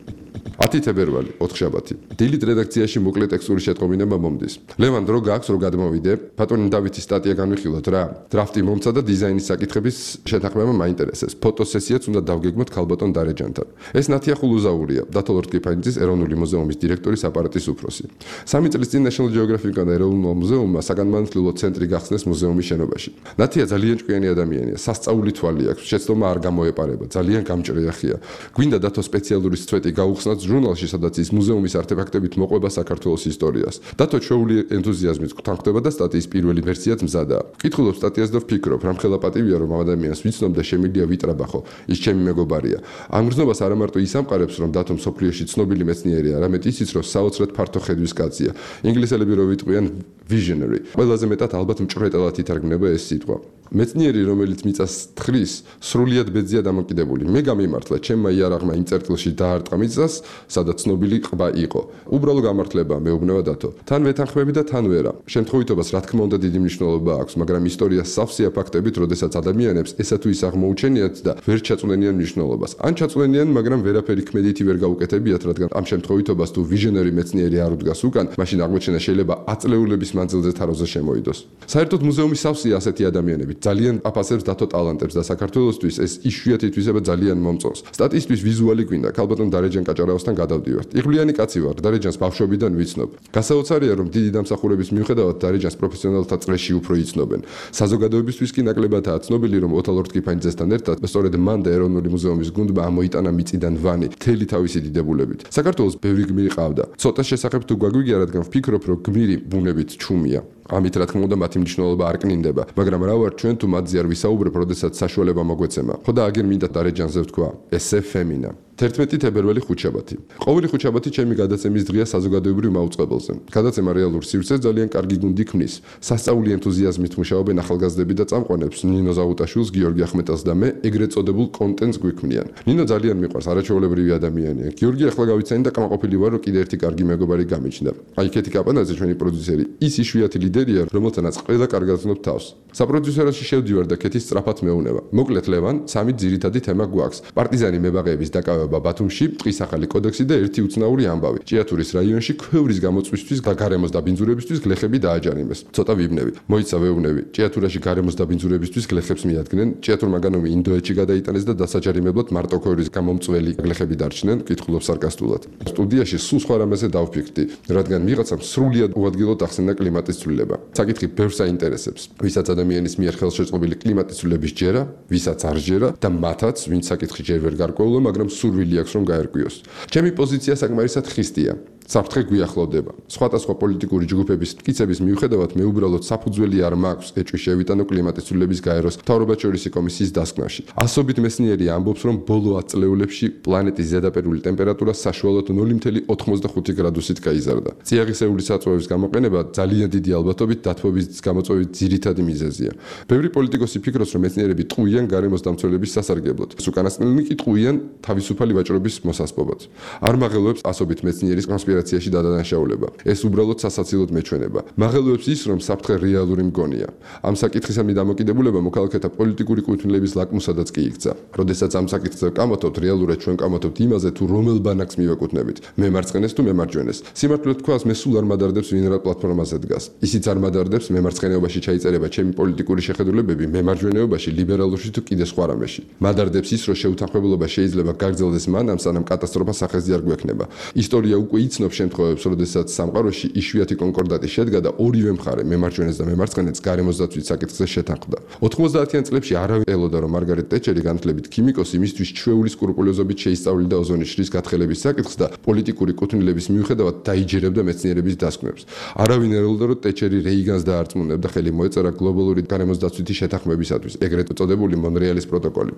S11: 10 თებერვალი, 4 შაბათი. დილით რედაქციაში მოკლე ტექსტური შეტყობინება მომდის. ლევან დრო გაქვს რომ გადმოვიდე. ბატონი დავითის სტატია განვიხილოთ რა. დრაფტი მომცა და დიზაინის საკითხების შეთანხმება მაინტერესებს. ფოტოსესიაც უნდა დავგეგმოთ ქალბატონ დარეჯანთან. ეს ნათია ხულუზაურია, დათოლ რტკიფანიძის ეროვნული მუზეუმის დირექტორის აპარატის უფროსი. 3 წლის წინ National Geographic-თან ეროვნულ მუზეუმმა საგანმანათლებლო ცენტრი გახსნეს მუზეუმის შენობაში. ნათია ძალიან ჭკვიანი ადამიანია, სასწაული თვალი აქვს, შეცდომა არ გამოეპარება, ძალიან გამჭრიახია. გვინდა დათო სპეციალური სვეტი გაუხსნათ ჟურნალში, სადაც ის მუზეუმის არტეფაქტებით მოყვება საქართველოს ისტორიას. დათო ჩვეული ენთუზიაზმით გთანხმდება და სტატიის პირველი ვერსიაც მზადაა. ვკითხულობ სტატიას და ვფიქრობ, რამხელა პატივია რომ ამ ადამიანს ვიცნობ და შემიძლია ვიტრაბახო. ის ჩემი მეგობარია. ამ გრძნობას არა მარტო ის ამყარებს, რომ დათო მსოფლიოში ცნობილი მეცნიერია, არამედ ისიც, რომ საოცრად ფართო ხედვის კაცია. ინგლისელები რო ვიტყვიან visionary. ყველაზე მეტად ალბათ მჭრეტელად ითარგმნება ეს სიტყვა. მეცნიერი, რომელიც მიწას თხრის, სრულიად ბედზია დამოკიდებული. მე გამიმართლა, ჩემმა იარაღმა იმ წერტილში დაარტყა მიწას, სადაც ცნობილი ყბა იყო. უბრალო გამართლება, მეუბნება დათო. თან ვეთანხმები და თან ვერა. შემთხვევითობას რა თქმა უნდა დიდი მნიშვნელობა აქვს, მაგრამ ისტორია სავსეა ფაქტებით, როდესაც ადამიანებს ესა თუ ის აღმოუჩენიათ და ვერ ჩაწვდენიან მნიშვნელობას. ან ჩაწვდენიან, მაგრამ ვერაფერი ქმედითი ვერ გაუკეთებიათ, რადგან ამ შემთხვევითობას თუ visionary მეცნიერი არ უდგას უკან, მაშინ აღმოჩენა შეიძლება აწლეულების მანძილზე თაროზე შემოიდოს. საერთოდ მუზეუმის სავსეა ასეთი ადამიანები. ძალიან აფასებს დათო ტალანტებს და საქართველოსთვის ეს იშვიათი თვისება ძალიან მომწონს. სტატიისთვის ვიზუალი გვინდა, ქალბატონ დარეჯან კაჭარავასთან გადავდივართ. იღბლიანი კაცი ვარ, დარეჯანს ბავშვობიდან ვიცნობ. გასაოცარია, რომ დიდი დამსახურების მიუხედავად დარეჯანს პროფესიონალთა წრეში უფრო იცნობენ. საზოგადოებისთვის კი ნაკლებადაა ცნობილი, რომ ოთალ რტკიფანიძესთან ერთად სწორედ მან და ეროვნული მუზეუმის გუნდმა ამოიტანა მიწიდან ვანი, მთელი თავისი დიდებულებით. საქართველოს ბევრი გმირი ყავდა. ცოტა შესახებ თუ გვაგვიგია, რადგან ვფიქრობ, რომ გმირი ბუნებით ჩუმია. ამით რა თქმა უნდა მათი მნიშვნელობა არ კნინდება, მაგრამ რა ვარ ჩვენ თუ მათზე არ ვისაუბრებ, როდესაც საშუალება მოგვეცემა. ხო და აგერ მინდა დარეჯანზე ვთქვა, ესე ფემინა. 11 თებერვალი ხუთშაბათი. ყოველი ხუთშაბათი ჩემი გადაცემის დღეა საზოგადოებრივ მაუწყებელზე. გადაცემა რეალურ სივრცეს ძალიან კარგი გუნდი ქმნის. სასწაული ენთუზიაზმით მუშაობენ ახალგაზრდები და წამყვანებს ნინო ზაუტაშვილს, გიორგი ახმეტელს და მე ეგრეთ წოდებულ კონტენტს გვიქმნიან. ნინო ძალიან მიყვარს, არაჩვეულებრივი ადამიანია. გიორგი ახლა გავიცანი და კამაყოფილი ვარ, რომ კიდე ერთი კარგი მეგობარი გამიჩნდა. აი კეთი კაპანაძე ჩვენი პროდიუსერი, ის იშვიათი ლიდერია, რომელთანაც ყველა კარგად ვცნობ თავს. საპროდიუსეროში შევდივარ და კეთი სწრაფად მეუნება. მოკლედ ლევან, 3 ძირითადი თემა გვაქვს. პარტიზანი მებაღეების დაკავება განთავება ბათუმში, ტყის ახალი კოდექსი და ერთი უცნაური ამბავი. ჭიათურის რაიონში ქვევრის გამოწვისთვის და გარემოს დაბინძურებისთვის გლეხები დააჯარიმეს. ცოტა ვიბნები. მოიცა ვეუბნები. ჭიათურაში გარემოს დაბინძურებისთვის გლეხებს მიადგნენ. ჭიათურმა განომი ინდოეთში გადაიტანეს და დასაჯარიმებლად მარტო ქვევრის გამომწველი გლეხები დარჩნენ, კითხულობს სარკასტულად. სტუდიაში სულ სხვა რამეზე დავფიქრდი, რადგან ვიღაცამ სრულიად უადგილოდ ახსენდა კლიმატის ცვლილება. საკითხი ბევრს აინტერესებს. ვისაც ადამიანის მიერ ხელშეწყობილი კლიმატის ცვლილების ჯერა, ვისაც არ ჯერა და მათაც, ვინც საკითხი ჯერ ვერ გარკვეულა, მაგრამ სურვილი აქვს რომ გაერკვიოს. ჩემი პოზიცია საკმარისად ხისტია. საფრთხე გვიახლოვდება. სხვადასხვა პოლიტიკური ჯგუფების მტკიცების მიუხედავად მე უბრალოდ საფუძველი არ მაქვს ეჭვი შევიტანო კლიმატის ცვლილების გაეროს მთავრობაჩვერის კომისიის დასკვნაში. ასობით მეცნიერი ამბობს, რომ ბოლო 10 წლეულებში პლანეტის ზედაპირული ტემპერატურა საშუალოდ 0.85 გრადუსით გაიზარდა. წიაღისეული საწვევის გამოყენება ძალიან დიდი ალბათობით დათბობის გამოწვევის ძირითადი მიზეზია. ბევრი პოლიტიკოსი ფიქრობს, რომ მეცნიერები ტყუიან გარემოს დამცველების სასარგებლოდ. უკანასკნელნი კი ტყუიან თავისუფალი ვაჭრობის მოსასპობად. არ მაღელვებს ასობით მეცნიერის კონსპირაციაში დადანაშაულება. ეს უბრალოდ სასაცილოდ მეჩვენება. მაღელვებს ის, რომ საფრთხე რეალური მგონია. ამ საკითხისამი დამოკიდებულება მოქალაქეთა პოლიტიკური კუთვნილების ლაკმუსადაც კი იქცა. როდესაც ამ საკითხზე ვკამათობთ, რეალურად ჩვენ ვკამათობთ იმაზე, თუ რომელ ბანაკს მივეკუთვნებით. მემარცხენეს თუ მემარჯვენეს. სიმართლედ თქვას, მე სულ არ მადარდებს ვინ რა პლატფორმაზე დგას. ისიც არ მადარდებს მემარცხენეობაში ჩაიწერება ჩემი პოლიტიკური შეხედულებები, მემარჯვენეობაში, ლიბერალურში თუ კიდე სხვა რამეში. მადარდებს ის, რომ შეუთანხმებლობა შეიძლება გაგრძელდეს მანამ, სანამ კატასტროფა სახეზე არ გვექნება. ისტორია უკვე იცნობს შემთხვევებს, როდესაც სამყაროში იშვიათი კონკორდატი შედგა და ორივე მხარე, მემარჯვენეც და მემარცხენეც გარემოს დაცვის საკითხზე შეთანხმდა. 90-იან წლებში არავინ ელოდა, რომ მარგარეტ ტეჩერი განათლებით ქიმიკოსი მისთვის ჩვეული სკრუპულოზობით შეისწავლიდა ოზონის შრის გათხელების საკითხს და პოლიტიკური კუთვნილების მიუხედავად დაიჯერებდა მეცნიერების დასკვნებს. არავინ ელოდა, რომ ტეჩერი რეიგანს დაარწმუნებდა ხელი მოეწერა გლობალური გარემოს დაცვითი შეთანხმებისათვის, ეგრეთ წოდებული მონრეალის პროტოკოლი.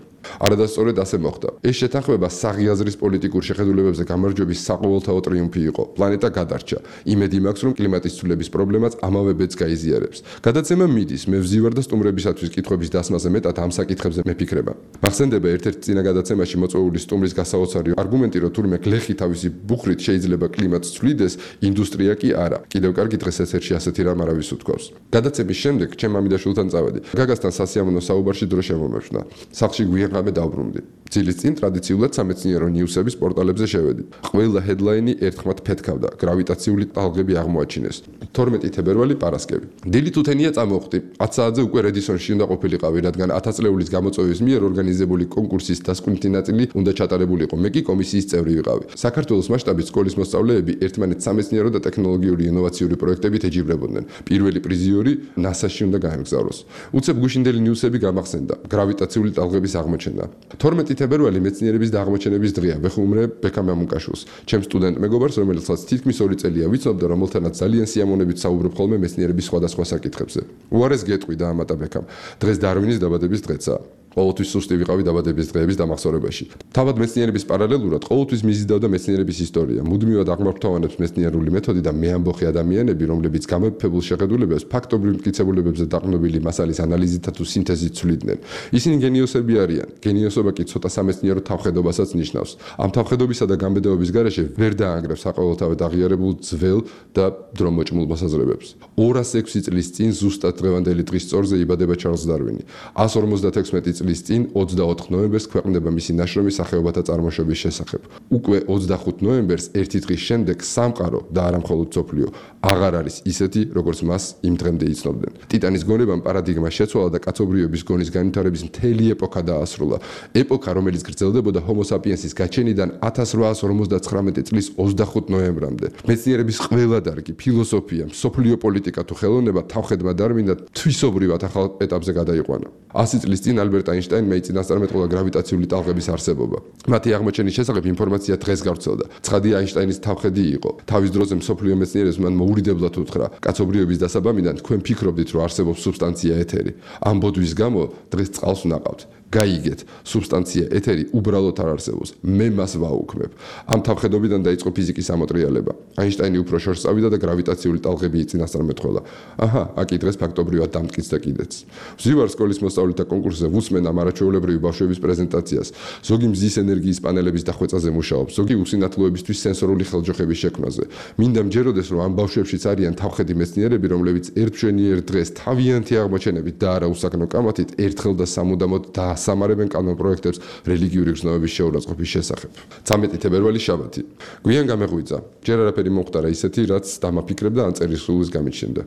S11: არადასწორად ასე მოხდა. ეს შეთანხმება საღიაზრის პოლიტიკურ შეხედულებებზე გამარჯვების საყოველთაო ტრიუმფი იყო. პლანეტა გადარჩა. იმედი მაქვს, რომ კლიმატის ცვლილების პრობლემაც ამავე ბედს გაიზიარებს. გადაცემა მიდის, მე ვზივარ და სტუმრებისათვის კითხვების დასმაზე მეტად ამ საკითხებზე მეფიქრება. მახსენდება ერთ-ერთ წინა გადაცემაში მოწვეული სტუმრის გასაოცარი არგუმენტი, რომ თურმე გლეხი თავისი ბუხრით შეიძლება კლიმატს ცვლიდეს, ინდუსტრია კი არა. კიდევ კარგი დღეს ეთერში ასეთი რამ არავის უთქვავს. გადაცემის შემდეგ ჩემ მამიდაშვილთან წავედი. გაგასთან სასიამოვნო საუბარში დრო შემომეფშნა. სახლში გვიანღამე დავბრუნდი. ძილის წინ ტრადიციულად სამეცნიერო ნიუსების პორტალებზე შევედი. ყველა ჰედლაინი ერთხმად ფეთქავდა. გრავიტაციული ტალღები აღმოაჩინეს. 12 თებერვალი პარასკევი. დილით უთენია წამოვხდი. 10 საათზე უკვე რედისონში უნდა ყოფილიყავი, რადგან 1000 წლეულის გამოწვევის მიერ ორგანიზებული კონკურსის დასკვნითი ნაწილი უნდა ჩატარებულიყო. მე კი კომისიის წევრი ვიყავი. საქართველოს მასშტაბით სკოლის მოსწავლეები ერთმანეთს სამეცნიერო და ტექნოლოგიური ინოვაციური პროექტებით ეჯიბრებოდნენ. პირველი პრიზიორი NASA-ში უნდა გაემგზავროს. უცებ გუშინდელი ნიუსები გამახსენდა. გრავიტაციული ტალღების აღმოჩენა. 12 თებერვალი მეცნიერების და აღმოჩენების დღეა. ვეხუმრე ბექამ მამუკაშვილს, ჩემ სტუდენტ მეგობარს, რომელსაც თითქმის 2 წელია ვიცნობ და რომელთანაც ძალიან სიამოვნებით საუბრობ ხოლმე მეცნიერების სხვადასხვა საკითხებზე. უარეს გეტყვი და ამატა ბექამ. დღეს დარვინის დაბადების დღეცაა. ყოველთვის სუსტი ვიყავი დაბადების დღეების დამახსოვრებაში. თავად მეცნიერების პარალელურად ყოველთვის მიზიდავდა მეცნიერების ისტორია. მუდმივად აღმართვანებს მეცნიერული მეთოდი და მეამბოხი ადამიანები, რომლებიც გამოფებულ შეხედულებებს ფაქტობრივ მტკიცებულებებზე დაყრდნობილი მასალის ანალიზითა თუ სინთეზით ცვლიდნენ. ისინი გენიოსები არიან. გენიოსობა კი ცოტა სამეცნიერო თავხედობასაც ნიშნავს. ამ თავხედობისა და გამბედაობის გარეშე ვერ დაანგრევს საყოველთაოდ აღიარებულ ძველ და დრომოჭმულ მოსაზრებებს. 206 წლის წინ ზუსტად დღევანდელი დღის სწორზე იბადება ჩარლზ დარვინი. 156 წლის წინ 24 ნოემბერს ქვეყნდება მისი ნაშრომი სახეობათა წარმოშობის შესახებ. უკვე 25 ნოემბერს ერთი დღის შემდეგ სამყარო და არა მხოლოდ სოფლიო აღარ არის ისეთი, როგორც მას იმ დღემდე იცნობდნენ. ტიტანის გონებამ პარადიგმა შეცვალა და კაცობრიობის გონის განვითარების მთელი ეპოქა დაასრულა. ეპოქა, რომელიც გრძელდებოდა ჰომო საპიენსის გაჩენიდან 1859 წლის 25 ნოემბრამდე. მეცნიერების ყველა დარგი, ფილოსოფია, სოფლიო პოლიტიკა თუ ხელოვნება თავხედმა დარვინმა თვისობრივად ახალ ეტაპზე გადაიყვანა. 100 წლის წინ ალბერტ აინშტაინმა იწინასწარმეტყველა გრავიტაციული ტალღების არსებობა. მათი აღმოჩენის შესახებ ინფორმაცია დღეს გავრცელდა. ცხადი აინშტაინის თავხედი იყო. თავის დროზე მსოფლიო მეცნიერებს მან მოურიდებლად უთხრა: კაცობრიობის დასაბამიდან თქვენ ფიქრობდით, რომ არსებობს სუბსტანცია ეთერი. ამ ბოდვის გამო დღეს წყალს ვნაყავთ. გაიგეთ, სუბსტანცია ეთერი უბრალოდ არ არსებობს. მე მას ვაუქმებ. ამ თავხედობიდან დაიწყო ფიზიკის ამოტრიალება. აინშტაინი უფრო შორს წავიდა და გრავიტაციული ტალღები იწინასწარმეტყველა. აჰა, აკი დღეს ფაქტობრივად დამტკიცდა კიდეც. ვზივარ სკოლის მოსწავლეთა კონკურსზე ვუსმენ აწარმოებენ ამ არაჩვეულებრივი ბავშვების პრეზენტაციას, ზოგი მზის ენერგიის პანელების დახვეწაზე მუშაობს, ზოგი უსინათლოებისთვის სენსორული ხელჯოხების შექმნაზე. მინდა მჯეროდეს, რომ ამ ბავშვებშიც არიან თავხედი მეცნიერები, რომლებიც ერთშვენიერ დღეს თავიანთი აღმოჩენებით და არა უსაკნო კამათით ერთხელ და სამუდამოდ დაასამარებენ კანონპროექტებს რელიგიური გრძნობების შეურაცხყოფის შესახებ. 13 თებერვალი შაბათი. გვიან გამეღვიძა. ჯერ არაფერი მომხდარა ისეთი, რაც დამაფიქრებდა ან წერისხლის გამიჩნდა.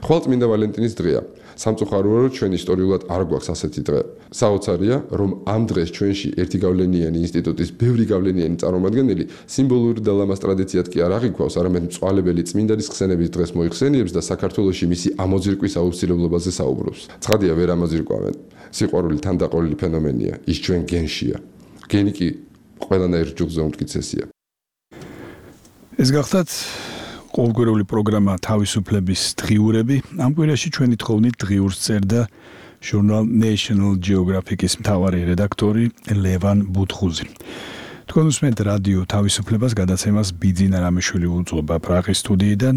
S11: ხვალწმინდა ვალენტინის დღეა. სამწუხაროა, რომ ჩვენ ისტორიულად არ გვაქვს ასეთი დღე. საოცარია, რომ ამ დღეს ჩვენში ერთი გავლენიანი ინსტიტუტის ბევრი გავლენიანი წარმომადგენელი სიმბოლური და ლამაზ ტრადიციად კი არ აღიქვავს, არამედ მწვალებელი წმინდანის ხსენების დღეს მოიხსენიებს და საქართველოში მისი ამოძირკვის აუცილებლობაზე საუბრობს. ცხადია, ვერ ამოძირკვავენ. სიყვარული თანდაყოლილი ფენომენია, ის ჩვენ გენშია. გენი კი ყველანაირ ჯგუფზე უმტკიცესია.
S2: ეს გახდათ ყოველკვირეული პროგრამა თავისუფლების დღიურები. ამ კვირაში ჩვენი თხოვნით დღიურს წერდა ჟურნალ National Geographic-ის მთავარი რედაქტორი ლევან ბუთხუზი. თქვენ უსმენთ რადიო თავისუფლებას, გადაცემას ბიძინა რამიშვილი უძღვება პრაღის სტუდიიდან.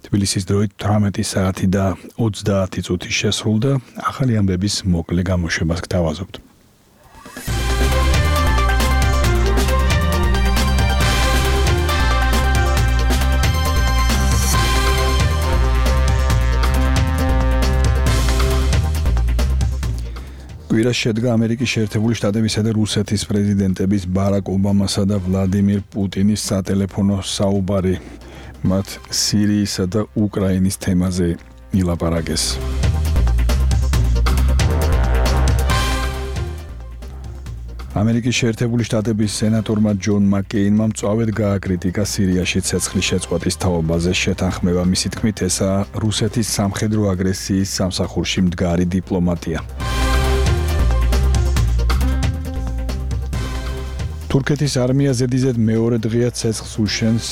S2: თბილისის დროით 18 საათი და 30 წუთი შესრულდა. ახალი ამბების მოკლე გამოშვებას გთავაზობთ. კვირას შედგა ამერიკის შეერთებული შტატებისა და რუსეთის პრეზიდენტების ბარაკ ობამასა და ვლადიმირ პუტინის სატელეფონო საუბარი. მათ სირიისა და უკრაინის თემაზე ილაპარაკეს. ამერიკის შეერთებული შტატების სენატორმა ჯონ მაკეინმა მწვავედ გააკრიტიკა სირიაში ცეცხლის შეწყვეტის თაობაზე შეთანხმება. მისი თქმით, ესაა რუსეთის სამხედრო აგრესიის სამსახურში მდგარი დიპლომატია. თურქეთის არმია ზედიზედ მეორე დღეა ცეცხლს უშენს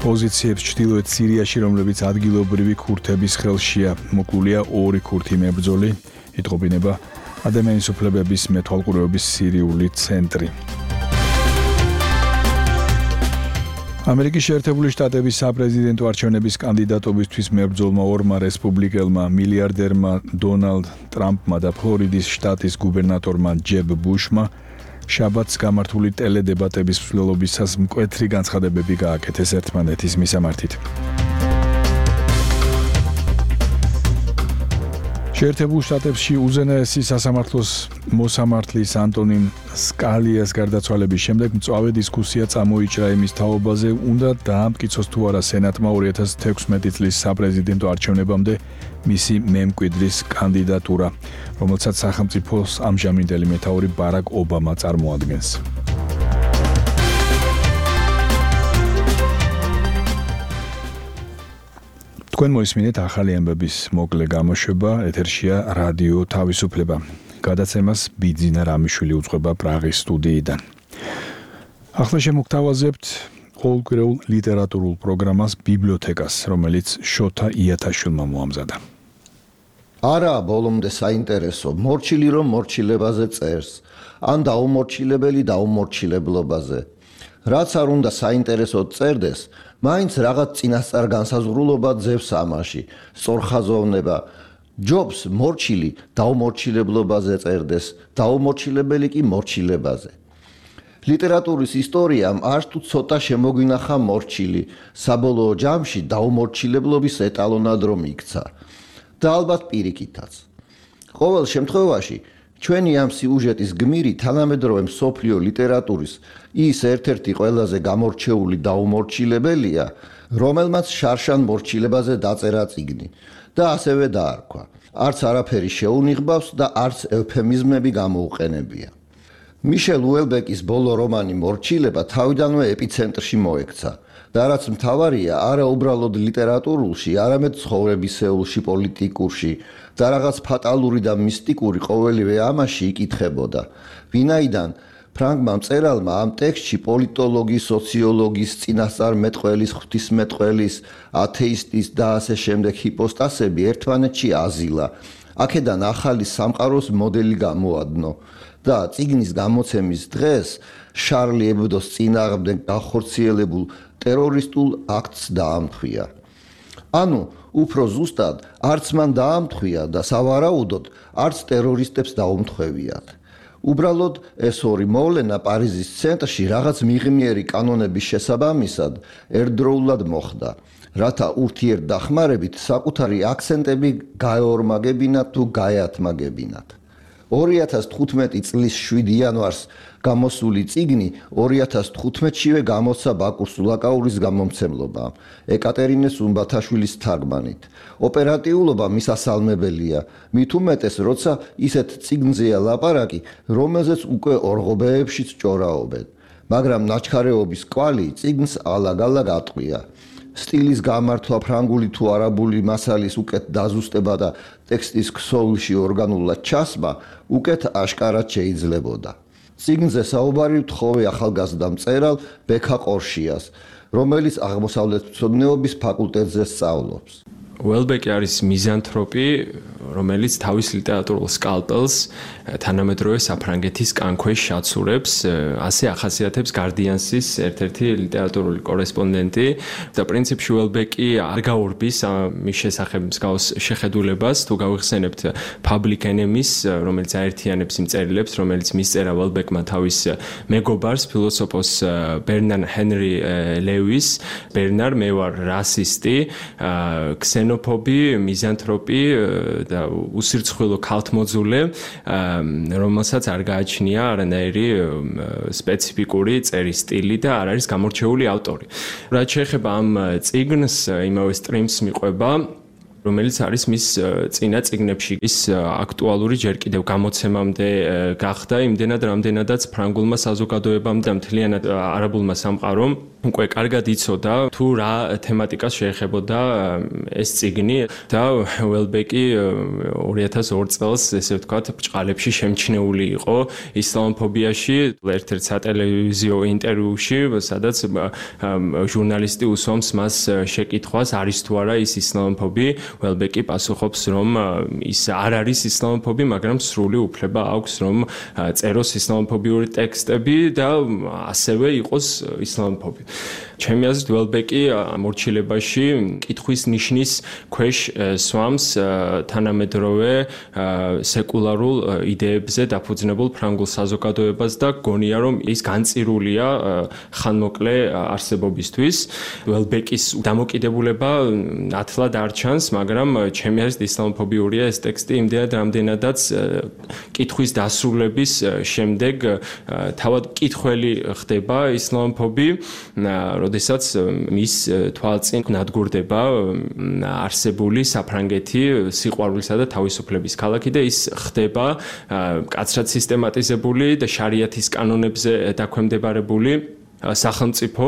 S2: პოზიციებს ჩრდილოეთ სირიაში, რომლებიც ადგილობრივი ქურთების ხელშია. მოკლულია 2 ქურთი მებრძოლი, იტყობინება ადამიანის უფლებების მეთვალყურეობის სირიული ცენტრი. ამერიკის შეერთებული შტატების საპრეზიდენტო არჩევნების კანდიდატობისთვის მებრძოლმა ორმა რესპუბლიკელმა მილიარდერმა დონალდ ტრამპმა და ფლორიდის შტატის გუბერნატორმა ჯებ ბუშმა შაბათს გამართული ტელედებატების მსვლელობისას მკვეთრი განცხადებები გააკეთეს ერთმანეთის მისამართით. შეერთებულ შტატებში უზენაესი სასამართლოს მოსამართლის ანტონინ სკალიას გარდაცვალების შემდეგ მწვავე დისკუსია წამოიჭრა იმის თაობაზე, უნდა დაამტკიცოს თუ არა სენატმა 2016 წლის საპრეზიდენტო არჩევნებამდე მისი მემკვიდრის კანდიდატურა, რომელსაც სახელმწიფოს ამჟამინდელი მეთაური ბარაკ ობამა წარმოადგენს. თქვენ მოისმინეთ ახალი ამბების მოკლე გამოშვება, ეთერშია რადიო თავისუფლება. გადაცემას ბიძინა რამიშვილი უძღვება პრაღის სტუდიიდან. ახლა შემოგთავაზებთ ყოველკვირეულ ლიტერატურულ პროგრამას ბიბლიოთეკას, რომელიც შოთა იათაშვილმა მოამზადა.
S12: არა, ბოლომდე საინტერესო, მორჩილი რომ მორჩილებაზე წერს, ან დაუმორჩილებელი დაუმორჩილებლობაზე. რაც არ უნდა საინტერესოდ წერდეს, მაინც რაღაც წინასწარ განსაზღვრულობა ძევს ამაში, სწორხაზოვნება. ჯობს მორჩილი დაუმორჩილებლობაზე წერდეს, დაუმორჩილებელი კი მორჩილებაზე. ლიტერატურის ისტორიამ არც თუ ცოტა შემოგვინახა მორჩილი, საბოლოო ჯამში დაუმორჩილებლობის ეტალონად რომ იქცა. და ალბათ პირიქითაც. ყოველ შემთხვევაში ჩვენი ამ სიუჟეტის გმირი თანამედროვე მსოფლიო ლიტერატურის ის ერთ-ერთი ყველაზე გამორჩეული დაუმორჩილებელია, რომელმაც შარშან მორჩილებაზე დაწერა წიგნი და ასევე დაარქვა. არც არაფერი შეუნიღბავს და არც ევფემიზმები გამოუყენებია. მიშელ უელბეკის ბოლო რომანი მორჩილება თავიდანვე ეპიცენტრში მოექცა და რაც მთავარია, არა უბრალოდ ლიტერატურულში, არამედ ცხოვრებისეულში, პოლიტიკურში და რაღაც ფატალური და მისტიკური ყოველივე ამაში იკითხებოდა. ვინაიდან ფრანგმა მწერალმა ამ ტექსტში პოლიტოლოგის, სოციოლოგის, წინასწარმეტყველის, ღვთისმეტყველის, ათეისტის და ასე შემდეგ ჰიპოსტასები ერთმანეთში აზილა. აქედან ახალი სამყაროს მოდელი გამოადნო და წიგნის გამოცემის დღეს შარლი ებდოს წინააღმდეგ განხორციელებულ ტერორისტულ აქტს დაამხია. ანუ უფრო ზუსტად არც მან დაამთხვია და სავარაუდოდ არც ტერორისტებს დაუმთხვევიათ. უბრალოდ ეს ორი მოვლენა პარიზის ცენტრში რაღაც მიღმიერი კანონების შესაბამისად ერთდროულად მოხდა, რათა ურთიერთდახმარებით საკუთარი აქცენტები გაეორმაგებინათ თუ გაეათმაგებინათ. 2015 წლის 7 იანვარს გამოსული წიგნი 2015-შივე გამოცა ბაკუს სულაკაურის გამომცემლობა ეკატერინე სუმბათაშვილის თარგმანით. ოპერატიულობა მისასალმებელია, მით უმეტეს, როცა ისეთ წიგნზეა ლაპარაკი, რომელზეც უკვე ორღობეებშიც ჭორაობენ, მაგრამ ნაჩქარეობის კვალი წიგნს ალაგ-ალაგ ატყვია. სტილის გამართვა ფრანგული თუ არაბული მასალის უკეთ დაზუსტება და ტექსტის ქსოვილში ორგანულად ჩასმა უკეთ აშკარად შეიძლებოდა. წიგნზე საუბარი ვთხოვე ახალგაზრდა მწერალ ბექა ყორშიას, რომელიც აღმოსავლეთმცოდნეობის ფაკულტეტზე სწავლობს.
S13: უელბეკი არის მიზანთროპი, რომელიც თავის ლიტერატურულ სკალპელს თანამედროვე საფრანგეთის კანქვეშ აცურებს, ასე ახასიათებს Guardians-ის ერთ-ერთი ლიტერატურული კორესპონდენტი და პრინციპში უელბეკი არ გაურბის მის შესახებ მსგავს შეხედულებას, თუ გავიხსენებთ Public Enemies, რომელიც აერთიანებს იმ წერილებს, რომელიც მისწერა უელბეკმა თავის მეგობარს, ფილოსოფოს ბერნარ ჰენრი ლევის, ბერნარ მე ვარ რასისტი, ქსენოფობი, მიზანთროპი და უსირცხვილო ქალთმოძულე, რომელსაც არ გააჩნია არანაირი სპეციფიკური წერის სტილი და არ არის გამორჩეული ავტორი. რაც შეეხება ამ წიგნს, იმავე სტრიმს მიყვება, რომელიც არის მის წინა წიგნებში ის აქტუალური ჯერ კიდევ გამოცემამდე გახდა, იმდენად რამდენადაც ფრანგულმა საზოგადოებამ და მთლიანად არაბულმა სამყარომ უკვე კარგად იცოდა თუ რა თემატიკას შეეხებოდა ეს წიგნი და უელბეკი 2002 წელს ესე ვთქვათ ბრჭყალებში შემჩნეული იყო ისლამოფობიაში ერთ-ერთ სატელევიზიო ინტერვიუში, სადაც ჟურნალისტი უსვამს მას შეკითხვას არის თუ არა ის ისლამოფობი, უელბეკი პასუხობს რომ ის არ არის ისლამოფობი, მაგრამ სრული უფლება აქვს რომ წეროს ისლამოფობიური ტექსტები და ასევე იყოს ისლამოფობი. ჩემი აზრით უელბეკი ამორჩილებაში კითხვის ნიშნის ქვეშ სვამს თანამედროვე სეკულარულ იდეებზე დაფუძნებულ ფრანგულ საზოგადოებას და გონია რომ ის განწირულია ხანმოკლე არსებობისთვის. უელბეკის დამოკიდებულება ათლად არ ჩანს, მაგრამ ჩემი აზრით ისლამოფობიურია ეს ტექსტი იმდენად რამდენადაც კითხვის დასრულების შემდეგ თავად კითხველი ხდება ისლამოფობი, როდესაც მის თვალწინ ნადგურდება არსებული საფრანგეთი სიყვარულისა და თავისუფლების ქალაქი და ის ხდება მკაცრად სისტემატიზებული და შარიათის კანონებზე დაქვემდებარებული სახელმწიფო.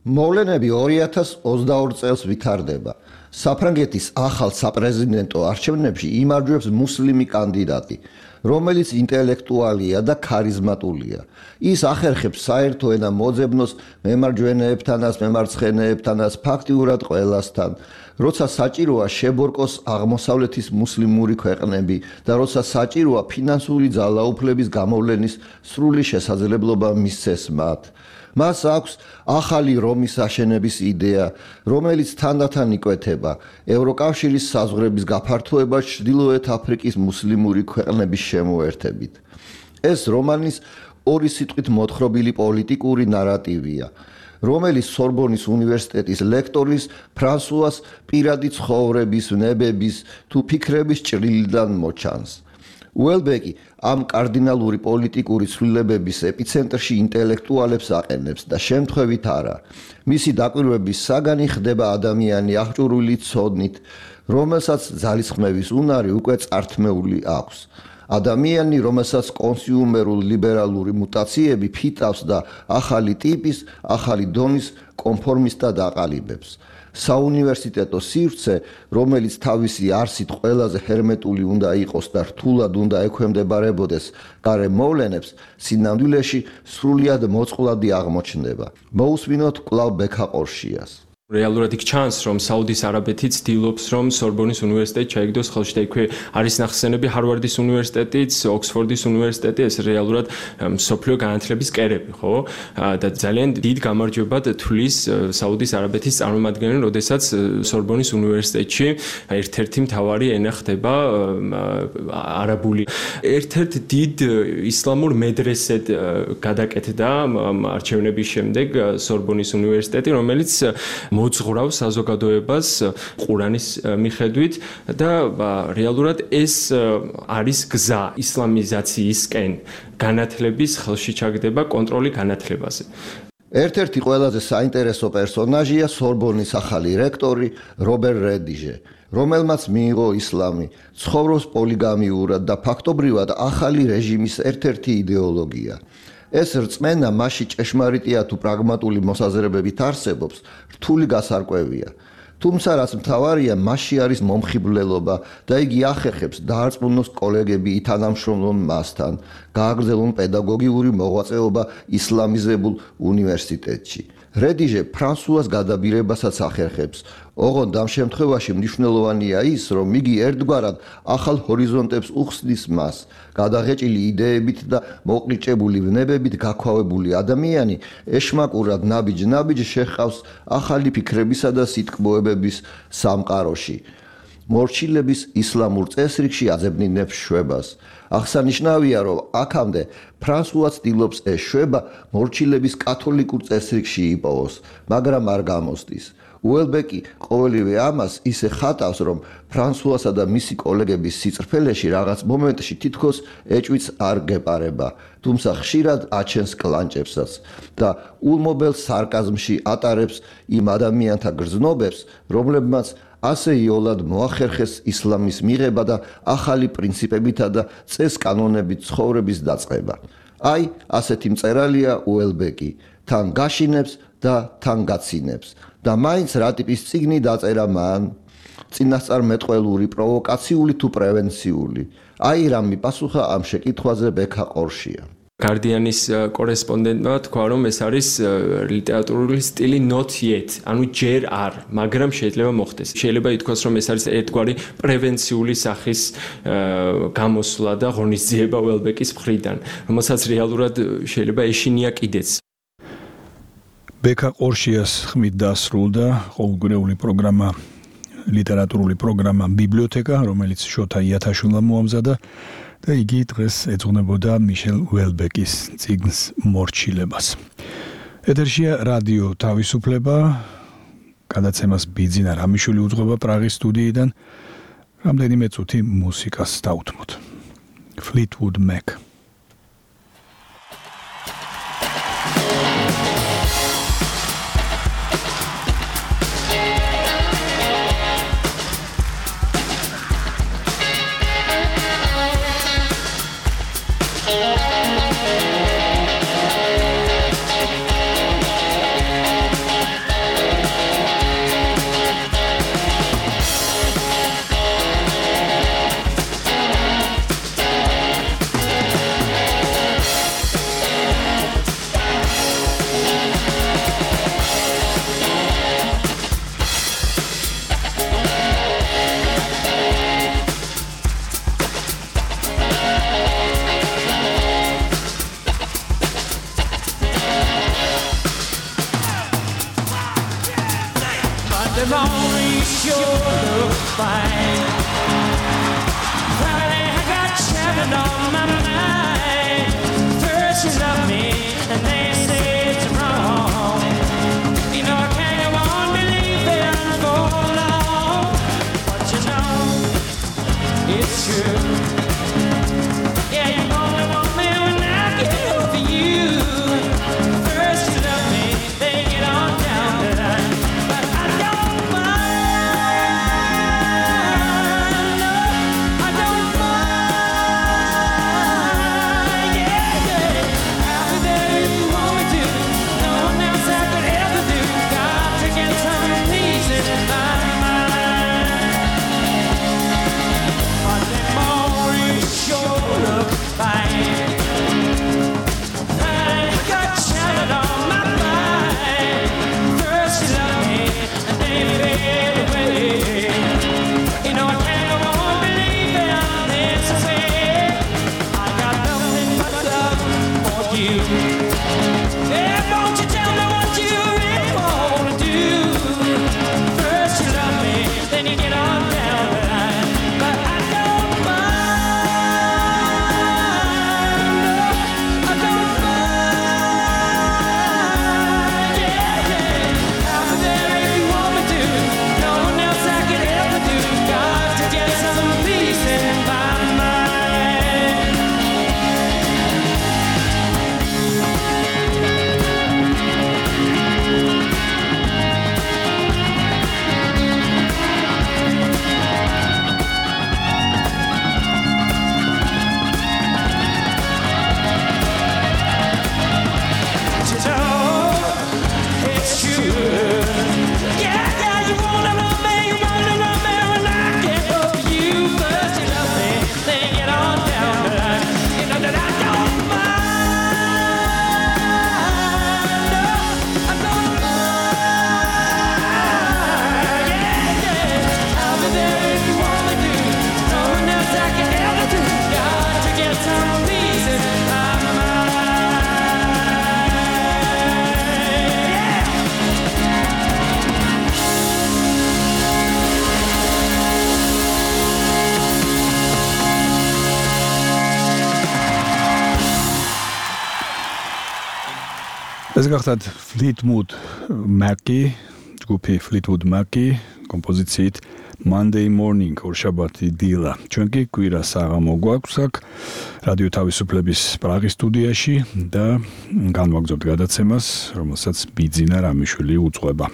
S12: მოვლენები 2022 წელს ვითარდება. საფრანგეთის ახალ საპრეზიდენტო არჩევნებში იმარჯვებს მუსლიმი კანდიდატი, რომელიც ინტელექტუალია და ქარიზმატულია. ის ახერხებს საერთო ენა მოძებნოს მემარჯვენეებთანაც, მემარცხენეებთანაც, ფაქტიურად ყველასთან, როცა საჭიროა შებორკოს აღმოსავლეთის მუსლიმური ქვეყნები და როცა საჭიროა ფინანსური ძალაუფლების გამოვლენის სრული შესაძლებლობა მისცეს მათ. მას აქვს ახალი რომის აშენების იდეა, რომელიც თანდათან იკვეთება ევროკავშირის საზღვრების გაფართოება ჩრდილოეთ აფრიკის მუსლიმური ქვეყნების შემოერთებით. ეს რომანის ორი სიტყვით მოთხრობილი პოლიტიკური ნარატივია, რომელიც სორბონის უნივერსიტეტის ლექტორის ფრანსუას პირადი ცხოვრების, ნებების თუ ფიქრების ჭრილიდან მოჩანს. უელბეკი ამ კარდინალური პოლიტიკური ცვლილებების ეპიცენტრში ინტელექტუალებს აყენებს და შემთხვევით არა. მისი დაკვირვების საგანი ხდება ადამიანი აღჭურვილი ცოდნით, რომელსაც ძალისხმევის უნარი უკვე წართმეული აქვს. ადამიანი, რომელსაც კონსიუმერულ ლიბერალური მუტაციები ფიტავს და ახალი ტიპის, ახალი დონის კონფორმისტად აყალიბებს. საუნივერსიტეტო სივრცე, რომელიც თავისი არსით ყველაზე ჰერმეტული უნდა იყოს და რთულად უნდა ექვემდებარებოდეს გარე მოვლენებს, სინამდვილეში სრულიად მოწყვლადი აღმოჩნდება. მოусმინოთ კვლავ ბექა ყორშიას.
S13: რეალურად იქ ჩანს, რომ საუდის არაბეთიც ცდილობს, რომ სორბონის უნივერსიტეტი ჩაიგდოს ხელში და იქვე არის ნახსენები ჰარვარდის უნივერსიტეტიც, ოქსფორდის უნივერსიტეტი, ეს რეალურად მსოფლიო განათლების კერები, ხო? და ძალიან დიდ გამარჯვებად თვლის საუდის არაბეთის წარმომადგენელი, როდესაც სორბონის უნივერსიტეტში ერთ-ერთი მთავარი ენა ხდება არაბული. ერთ-ერთ დიდ ისლამურ მედრესედ გადაკეთდა არჩევნების შემდეგ სორბონის უნივერსიტეტი, რომელიც მოძღვრავს საზოგადოებას ყურანის მიხედვით და რეალურად ეს არის გზა ისლამიზაციისკენ განათლების ხელში ჩაგდება კონტროლი განათლებაზე.
S12: ერთ-ერთი ყველაზე საინტერესო პერსონაჟია სორბონის ახალი რექტორი რობერ რედიჟე, რომელმაც მიიღო ისლამი, ცხოვრობს პოლიგამიურად და ფაქტობრივად ახალი რეჟიმის ერთ-ერთი იდეოლოგია. ეს რწმენა მასში ჭეშმარიტია თუ პრაგმატული მოსაზრებებით არსებობს, რთული გასარკვევია. თუმცა რაც მთავარია, მასში არის მომხიბვლელობა და იგი ახერხებს დაარწმუნოს კოლეგები ითანამშრომლონ მასთან, გააგრძელონ პედაგოგიური მოღვაწეობა ისლამიზებულ უნივერსიტეტში. რედიჟე ფრანსუას გადაბირებასაც ახერხებს. ოღონდ ამ შემთხვევაში მნიშვნელოვანია ის, რომ იგი ერთგვარად ახალ ჰორიზონტებს უხსნის მას. გადაღეჭილი იდეებით და მოყრიჭებული ვნებებით გაქვავებული ადამიანი ეშმაკურად ნაბიჯ-ნაბიჯ შეჰყავს ახალი ფიქრებისა და სიტყვებების სამყაროში. მორჩილების ისლამურ წესრიგში აძებნინებს შვებას. აღსანიშნავია, რომ აქამდე ფრანსუა ცდილობს ეს შვება მორჩილების კათოლიკურ წესრიგში იპოვოს, მაგრამ არ გამოსდის. უელბეკი ყოველივე ამას ისე ხატავს, რომ ფრანსუასა და მისი კოლეგების სიწყფელეში რაღაც მომენტში თითქოს ეჭვიც არ გეპარება, თუმცა ხშირად აჩენს კლანჭებსაც და ულმობელ სარკაზმში ატარებს იმ ადამიანთა გრძნობებს, რომლებმაც ასე იოლად მოახერხეს ისლამის მიღება და ახალი პრინციპებითა და წეს-კანონებით ცხოვრების დაწყება. აი, ასეთი მწერალია უელბეკი, თან გაშინებს და თან გაცინებს. და მაინც რა ტიპის წიგნი დაწერა მან? წინასწარმეტყველური, პროვოკაციული თუ პრევენციული? აი რა მიპასუხა ამ შეკითხვაზე ბექა ყორშია.
S13: Guardian-ის კორესპონდენტმა თქვა, რომ ეს არის ლიტერატურული სტილი not yet, ანუ ჯერ არ, მაგრამ შეიძლება მოხდეს. შეიძლება ითქვას, რომ ეს არის ერთგვარი პრევენციული სახის გამოსვლა და ღონისძიება უელბეკის მხრიდან, რომელსაც რეალურად შეიძლება ეშინია კიდეც.
S2: ბექა ყორშიას ხმით დასრულდა ყოველგვარეული პროგრამა, ლიტერატურული პროგრამა ბიბლიოთეკა, რომელიც შოთა იათაშვილმა მოამზადა და იგი დღეს ეძღვნებოდა მიშელ უელბეკის წიგნს მორჩილებას. ეთერშია რადიო თავისუფლება, გადაცემას ბიძინა რამიშვილი უძღვება პრაღის სტუდიიდან. რამდენიმე წუთი მუსიკას დავუთმოთ. Fleetwood Mac. ეს გახდათ Fleetwood Mac-ი, ჯგუფი Fleetwood Mac-ი კომპოზიციით Monday Morning ორშაბათი დილა. ჩვენ კი კვირას აღამო გვაქვს აქ რადიო თავისუფლების პრაღის სტუდიაში და განვაგრძობთ გადაცემას, რომელსაც ბიძინა რამიშვილი უძღვება.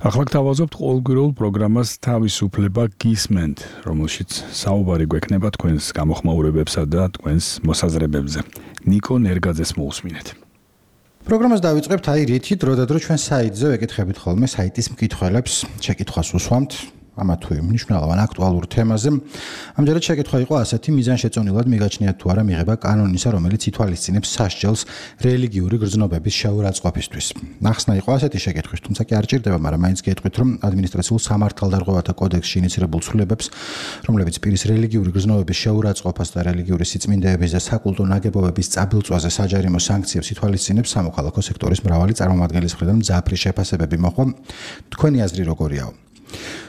S2: ახლა გთავაზობთ ყოველკვირეულ პროგრამას თავისუფლება გისმენთ, რომელშიც საუბარი გვექნება თქვენს გამოხმაურებებსა და თქვენს მოსაზრებებზე. ნიკო ნერგაძეს მოусმინეთ.
S14: პროგრამას დავიწყებთ რითი დროდადრო ჩვენ საიტზე ვეკითხებით ხოლმე საიტის მკითხველებს, შეკითხვას უსვამთ ამა თუ იმ მნიშვნელოვან აქტუალურ თემაზე. ამჯერად შეკითხვა იყო ასეთი: მიზანშეწონილად მიგაჩნიათ თუ არა მიღება კანონისა, რომელიც ითვალისწინებს სასჯელს რელიგიური გრძნობების შეურაცხყოფისთვის. ნახსნა იყო ასეთი შეკითხვის, თუმცა კი არ ჭირდება, მაგრამ მაინც გეტყვით, რომ ადმინისტრაციულ სამართალდარღვევათა კოდექსში ინიცირებულ ცვლილებებს, რომლებიც პირის რელიგიური გრძნობების შეურაცხყოფას და რელიგიური სიწმინდეების და საკულტო ნაგებობების წაბილწვაზე საჯარიმო სანქციებს ითვალისწინებს, სამოქალაქო სექტორის მრავალი წარმომადგენლის მხრიდან მძაფრი შეფასებები მოხდა. თქვენი აზრი როგორიაო?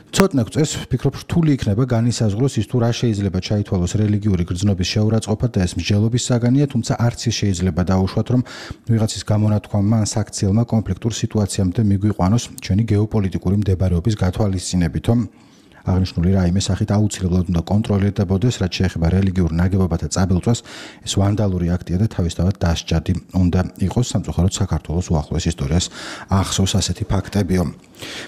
S14: ცოტნე გვწევს, ვფიქრობ, რთული იქნება განისაზღვროს ის თუ რა შეიძლება ჩაითვალოს რელიგიური გრძნობის შეურაცხყოფად და ეს მსჯელობის საგანია, თუმცა არც ის შეიძლება დაუშვათ, რომ ვიღაცის გამონათქვამმა ან საქციელმა კონფლიქტურ სიტუაციამდე მიგვიყვანოს ჩვენი გეოპოლიტიკური მდებარეობის გათვალისწინებით. აღნიშნული რაიმე სახით აუცილებლად უნდა კონტროლირდებოდეს, რაც შეეხება რელიგიურ ნაგებობათა წაბილწვას, ეს ვანდალური აქტია და თავისთავად დასჯადი უნდა იყოს, სამწუხაროდ საქართველოს უახლოეს ისტორიას ახსოვს ასეთი ფაქტებიო.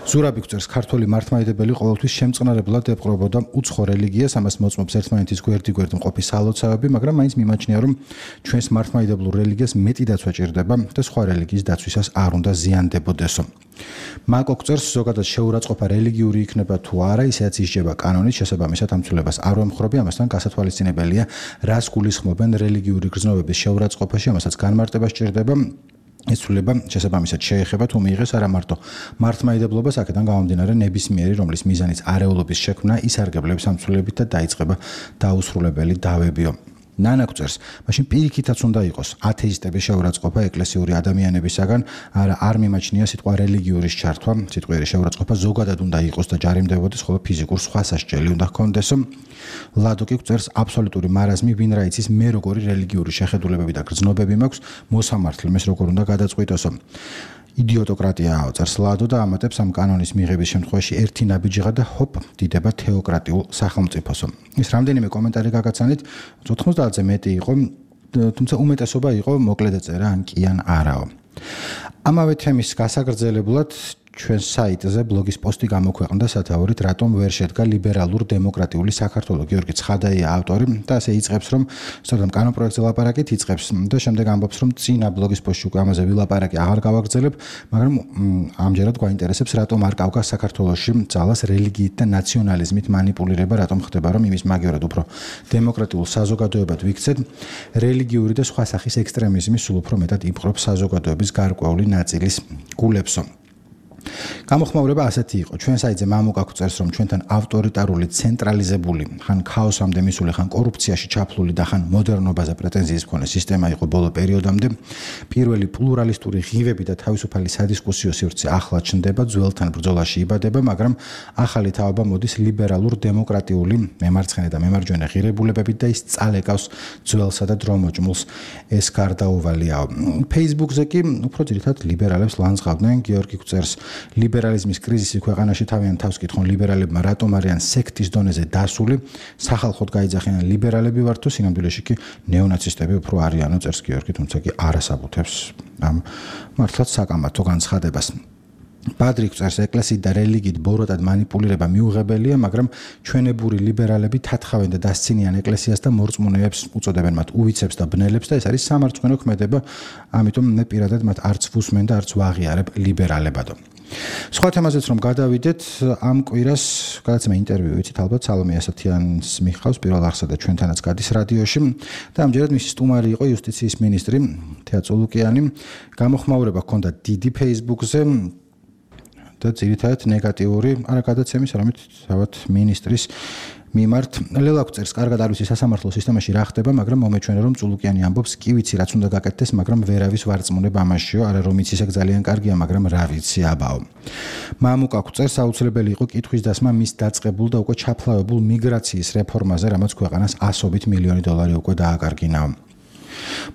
S14: ზურაბი გვწერს, ქართველი მართლმადიდებელი ყოველთვის შემწყნარებლად ეპყრობოდა უცხო რელიგიას, ამას მოწმობს ერთმანეთის გვერდ-გვერდ მყოფი სალოცავები, მაგრამ მაინც მიმაჩნია, რომ ჩვენს მართლმადიდებლურ რელიგიას მეტი დაცვა ჭირდება და სხვა რელიგიის დაცვისას არ უნდა ზიანდებოდესო. მაკო გვწერს, ზოგადად შეურაცხყოფა რელიგიური იქნება თუ არა, ისედაც ისჯება კანონით, შესაბამისად ამ ცვლილებას არ ვემხრობი, ამასთან გასათვალისწინებელია, რას გულისხმობენ რელიგიური გრძნობების შეურაცხყოფაში, ამასაც განმარტება სჭირდება. ეს ცვლილება შესაბამისად შეეხება თუ მიიღეს არა მარტო მართლმადიდებლობას, აქედან გამომდინარე ნებისმიერი, რომლის მიზანიც არეულობის შექმნა, ისარგებლებს ამ ცვლილებით და დაიწყება დაუსრულებელი დავებიო. ნანა გვწერს, მაშინ პირიქითაც უნდა იყოს ათეისტების შეურაცხყოფა ეკლესიური ადამიანებისაგან, არ მიმაჩნია სიტყვა რელიგიურის ჩართვა, სიტყვიერი შეურაცხყოფა ზოგადად უნდა იყოს და ჯარიმდებოდეს, ხოლო ფიზიკურ სხვა სასჯელი უნდა ჰქონდესო. ლადო კი გვწერს, აბსოლუტური მარაზმი, ვინ რა იცის, მე როგორი რელიგიური შეხედულებები და გრძნობები მაქვს, მოსამართლემ ეს როგორ უნდა გადაწყვიტოსო. იდიოტოკრატიაა წერს ლადო და ამატებს ამ კანონის მიღების შემთხვევაში ერთი ნაბიჯიღა და ჰოპ, დიდება თეოკრატიულ სახელმწიფოსო. ის რამდენიმე კომენტარი გაგაცანით, 90-ზე მეტი იყო, თუმცა უმეტესობა იყო მოკლედ ეწერა ან კი ან არაო. ამავე თემის გასაგრძელებლად ჩვენ საიტზე ბლოგის პოსტი გამოქვეყნდა სათაურით, რატომ ვერ შედგა ლიბერალურ დემოკრატიული საქართველო. გიორგი ცხადაია ავტორი და ასე იწყებს, რომ სწორედ ამ კანონ პროექტზე ლაპარაკით იწყებს და შემდეგ ამბობს, რომ წინა ბლოგის პოსტში უკვე ამაზე ვილაპარაკი აღარ გავაგრძელებ, მაგრამ ამჯერად გვაინტერესებს, რატომ არ გავგა საქართველოში ძალას რელიგიით და ნაციონალიზმით манипуლირება, რატომ ხდება, რომ იმის მაგივრად უფრო დემოკრატიულ საზოგადოებად ვიქცეთ, რელიგიური და სხვა სახის ექსტრემიზმი სულ უფრო მეტად იპყრობს საზოგადოების გარკვეული ნაწილის გულებსო. გამოხმაურება ასეთი იყო. ჩვენ საიტზე მამუკა გვწერს, რომ ჩვენთან ავტორიტარული, ცენტრალიზებული, ხან ქაოსამდე მისული, ხან კორუფციაში ჩაფლული და ხან მოდერნობაზე პრეტენზიის მქონე სისტემა იყო ბოლო პერიოდამდე. პირველი პლურალისტური ღივები და თავისუფალი სადისკუსიო სივრცე ახლა ჩნდება, ძველთან ბრძოლაში იბადება, მაგრამ ახალი თაობა მოდის ლიბერალურ დემოკრატიული მემარცხენე და მემარჯვენე ღირებულებებით და ის წალეკავს ძველსა და დრომოჭმულს. ეს გარდაუვალიაო. Facebook-ზე კი უფრო ძირითადად ლიბერალებს ლანძღავდნენ. გიორგი გვწერს, ლიბერალიზმის კრიზისი ქვეყანაში თავიანთ თავს კითხონ ლიბერალებმა რატომ არიან სექტის დონეზე დასული, სახალხოდ გაიძახიან ლიბერალები ვართ თუ სინამდვილეში კი ნეონაცისტები უფრო არიანო, წერს გიორგი, თუმცა კი არასაბუთებს ამ მართლაც საკამათო განცხადებას. ბადრი გვწერს, ეკლესიით და რელიგიით ბოროტად манипуლირება მიუღებელია, მაგრამ ჩვენებური ლიბერალები თათხავენ და დასცინიან ეკლესიას და მორწმუნეებს უწოდებენ მათ უვიცებს და ბნელებს და ეს არის სამარცხვინო ქმედება, ამიტომ მე პირადად მათ არც ვუსმენ და არც ვაღიარებ ლიბერალებადო. სხვა თემაზეც რომ გადავიდეთ, ამ კვირას გადაცემა ინტერვიუ ვიცით, ალბათ სალომე ასათიანს მიხავს პირველ არხსა და ჩვენთანაც გადის რადიოში და ამჯერად მისი სტუმარი იყო იუსტიციის მინისტრი თეა წულუკიანი. გამოხმაურება ჰქონდა დიდი Facebook-ზე და ძირითადად ნეგატიური, არა გადაცემის, არამედ თავად მინისტრის მიმართ. ლელა გვწერს, კარგად არ ვიცი სასამართლო სისტემაში რა ხდება, მაგრამ მომეჩვენა რომ წულუკიანი ამბობს, კი ვიცი რაც უნდა გაკეთდეს, მაგრამ ვერავის ვარწმუნება ამაშიო, არა რომ იცი ეგ ძალიან კარგია, მაგრამ რა ვიცი აბაო. მამუკა გვწერს, აუცილებელი იყო კითხვის დასმა მის დაწყებულ და უკვე ჩაფლავებულ მიგრაციის რეფორმაზე, რამაც ქვეყანას ასობით მილიონი დოლარი უკვე დააკარგინაო.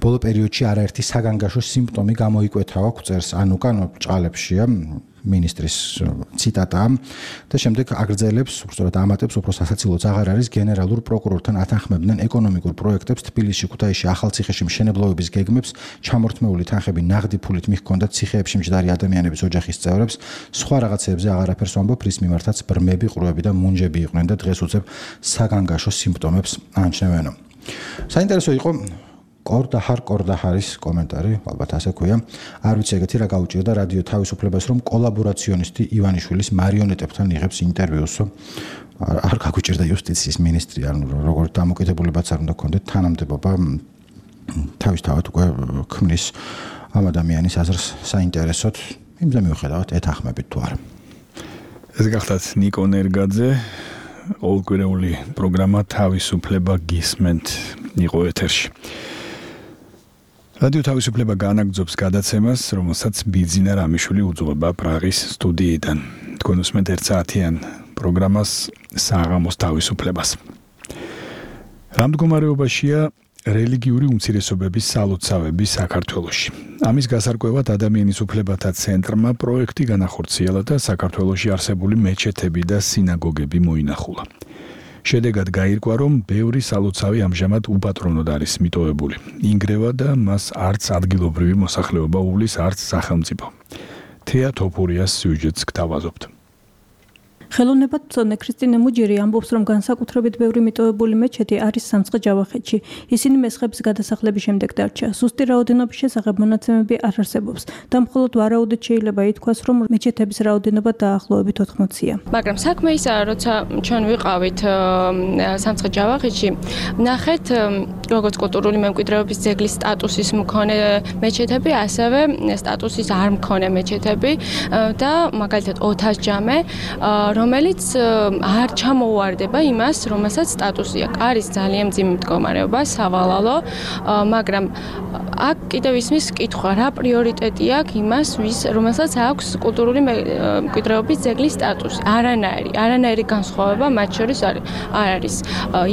S14: ბოლო პერიოდში არაერთი საგანგაშო სიმპტომი გამოიკვეთავა წერს ანუკან ჭყალებშია მინისტრის ციტატა და შემდეგ აგრძელებს, უბრალოდ ამატებს, უფრო სასაცილოც აღარ არის გენერალურ პროკურორთან ათანხმებდნენ ეკონომიკურ პროექტებს თბილისში, ქუთაისში, ახალციხეში მშენებლობების გეგმებს, ჩამორთმეული თანხები ნაღდი ფულით მიჰქონდათ ციხეებში მჯდარი ადამიანების ოჯახის წევრებს, სხვა რაღაცებზე აღარაფერს ვამბობ, რის მიმართაც ბრმები, ყრუები და მუნჯები იყვნენ და დღეს უწევ საგანგაშო სიმპტომებს ანჩნევენო. საინტერესო იყო კორდაჰარის კომენტარი, ალბათ ასე ქვია. არ ვიცი ეგეთი რა გაუჭირდა რადიო თავისუფლებას, რომ კოლაბორაციონისტი ივანიშვილის მარიონეტებთან იღებს ინტერვიუს. არ გაგვიჭირდა იუსტიციის მინისტრი, ანუ როგორც დამოკიდებულებაც არ უნდა გქონდეთ თანამდებობა თავისთავად უკვე ქმნის ამ ადამიანის აზრს საინტერესოდ, იმზე მიუხედავად ეთანხმებით თუ არა.
S2: ეს გახლავთ ნიკო ნერგაძე, ყოველკვირეული პროგრამა თავისუფლება გისმენთ იყო ეთერში. რადიო თავისუფლება განაგრძობს გადაცემას, რომელსაც ბიძინა რამიშვილი უძღვება პრაღის სტუდიიდან. თქვენ უსმენთ 1 საათიან პროგრამას საღამოს თავისუფლებას. რამ მდგომარეობაშია რელიგიური უმცირესობების სალოცავები საქართველოში. ამის გასარკვევად ადამიანის უფლებათა ცენტრმა პროექტი განახორციელა და საქართველოში არსებული მეჩეთები და სინაგოგები მოინახულა. შედეგად გაირკვა, რომ ბევრი სალოცავი ამჟამად უპატრონოდ არის მიტოვებული. ინგრევა და მას არც ადგილობრივი მოსახლეობა უვლის, არც სახელმწიფო. თეა თოფურიას სიუჟეტს გთავაზობთ.
S15: ხელოვნებათმცოდნე ქრისტინე მუჯირი ამბობს, რომ განსაკუთრებით ბევრი მიტოვებული მეჩეთი არის სამცხე-ჯავახეთში. ისინი მესხების გადასახლების შემდეგ დარჩა. ზუსტი რაოდენობის შესახებ მონაცემები არ არსებობს და მხოლოდ ვარაუდით შეიძლება ითქვას, რომ მეჩეთების რაოდენობა დაახლოებით 80-ია.
S16: მაგრამ საქმე ისაა, როცა ჩვენ ვიყავით სამცხე-ჯავახეთში, ნახეთ როგორც კულტურული მემკვიდრეობის ძეგლის სტატუსის მქონე მეჩეთები, ასევე სტატუსის არ მქონე მეჩეთები და მაგალითად ოთას ჯამე, რომელიც არ ჩამოუვარდება იმას, რომელსაც სტატუსი აქვს. არის ძალიან მძიმე მდგომარეობა, სავალალო, მაგრამ აქ კიდევ ისმის კითხვა, რა პრიორიტეტი აქვს იმას, რომელსაც აქვს კულტურული მემკვიდრეობის ძეგლის სტატუსი. არანაირი განსხვავება მათ შორის არ არის.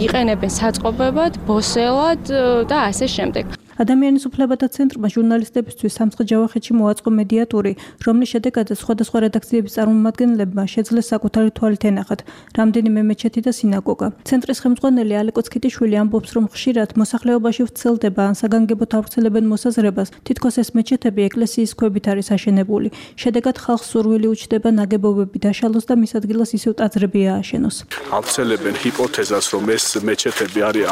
S16: იყენებენ საწყობებად, ბოსელად და ასე შემდეგ.
S15: ადამიანის უფლებათა ცენტრმა ჟურნალისტებისთვის სამცხე-ჯავახეთში მოაწყო მედიატური, რომლის შედეგადაც სხვადასხვა რედაქციების წარმომადგენლებმა შეძლეს საკუთარი თვალით ენახათ რამდენიმე მეჩეთი და სინაგოგა. ცენტრის ხელმძღვანელი ალეკო ცქიტიშვილი ამბობს, რომ ხშირად მოსახლეობაში ვრცელდება ან საგანგებოდ ავრცელებენ მოსაზრებას, თითქოს ეს მეჩეთები ეკლესიის ქვებით არის აშენებული. შედეგად ხალხს სურვილი უჩნდება ნაგებობები დაშალოს და მის ადგილას ისევ ტაძრები ააშენოს.
S17: ავრცელებენ ჰიპოთეზას, რომ ეს მეჩეთები არის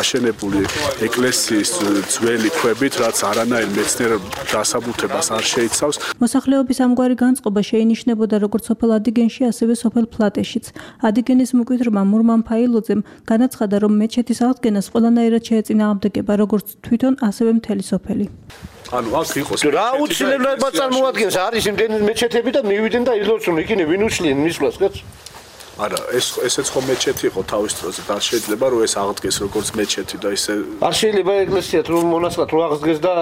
S17: აშენებული ეკლესიის ძველი ქვებით, რაც არანაირ მეცნიერ დასაბუთებას არ შეიცავს.
S15: მოსახლეობის ამგვარი განწყობა შეინიშნებოდა როგორც სოფელ ადიგენში, ასევე სოფელ ფლატეშიც. ადიგენის მკვიდრმა მურმან ფაილოძემ განაცხადა, რომ მეჩეთის აღდგენას ყველანაირად შეეწინააღმდეგება როგორც თვითონ, ასევე მთელი სოფელი.
S17: ანუ აქ იყოს
S18: რა უცნაურად წარმოადგენს არის იმდენი მეჩეთები და მივიდნენ და ილოცουν იქინე ვინ უშლიან მისვლას კაც
S17: არა ესეც ხომ მეჩეთი იყო თავის დროზე და შეიძლება რომ ეს აღდგეს როგორც მეჩეთი და ისე
S18: არ შეიძლება ეკლესიათ რომ მონასტრად რო აღდგეს და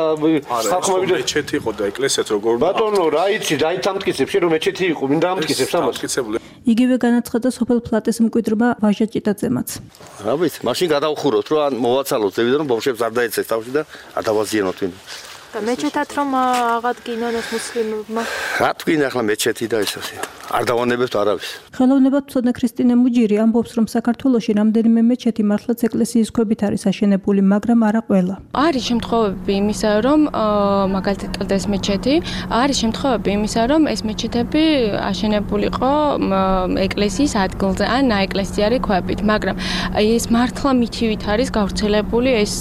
S18: ხალხმა ვიდრე
S17: მეჩეთი იყო და ეკლესიათ როგორ
S18: ბატონო რა იცი რა ითამტკიცებს რომ მეჩეთი იყო მინდა ამტკიცებს ამას
S15: იგივე განაცხადა სოფელ ფლატეს მკვიდრმა ვაჟა ჭიტაძემაც
S18: რა ვიცი მაშინ გადავხუროთ რომ ან მოვაცალოთ ზევიდან რომ ბავშვებს არ დაეცეს თავში და არ დავაზიანოთ ვინ
S16: და მეჩეთად რომ აღადგინონ ეს მუსლიმებმა
S18: რა თქვენ ახლა მეჩეთი და ეს ასე არ დავანებებთ არავის
S15: ხელოვნებათმცოდნე ქრისტინე მუჯირი ამბობს რომ საქართველოში რამდენიმე მეჩეთი მართლაც ეკლესიის ქვებით არის აშენებული მაგრამ არა ყველა
S16: არის შემთხვევები იმისა რომ მაგალითად კლდეს მეჩეთი არის შემთხვევები იმისა რომ ეს მეჩეთები აშენებულიყო ეკლესიის ადგილზე ან ნაეკლესიარი ქვებით მაგრამ ეს მართლა მითივით არის გავრცელებული ეს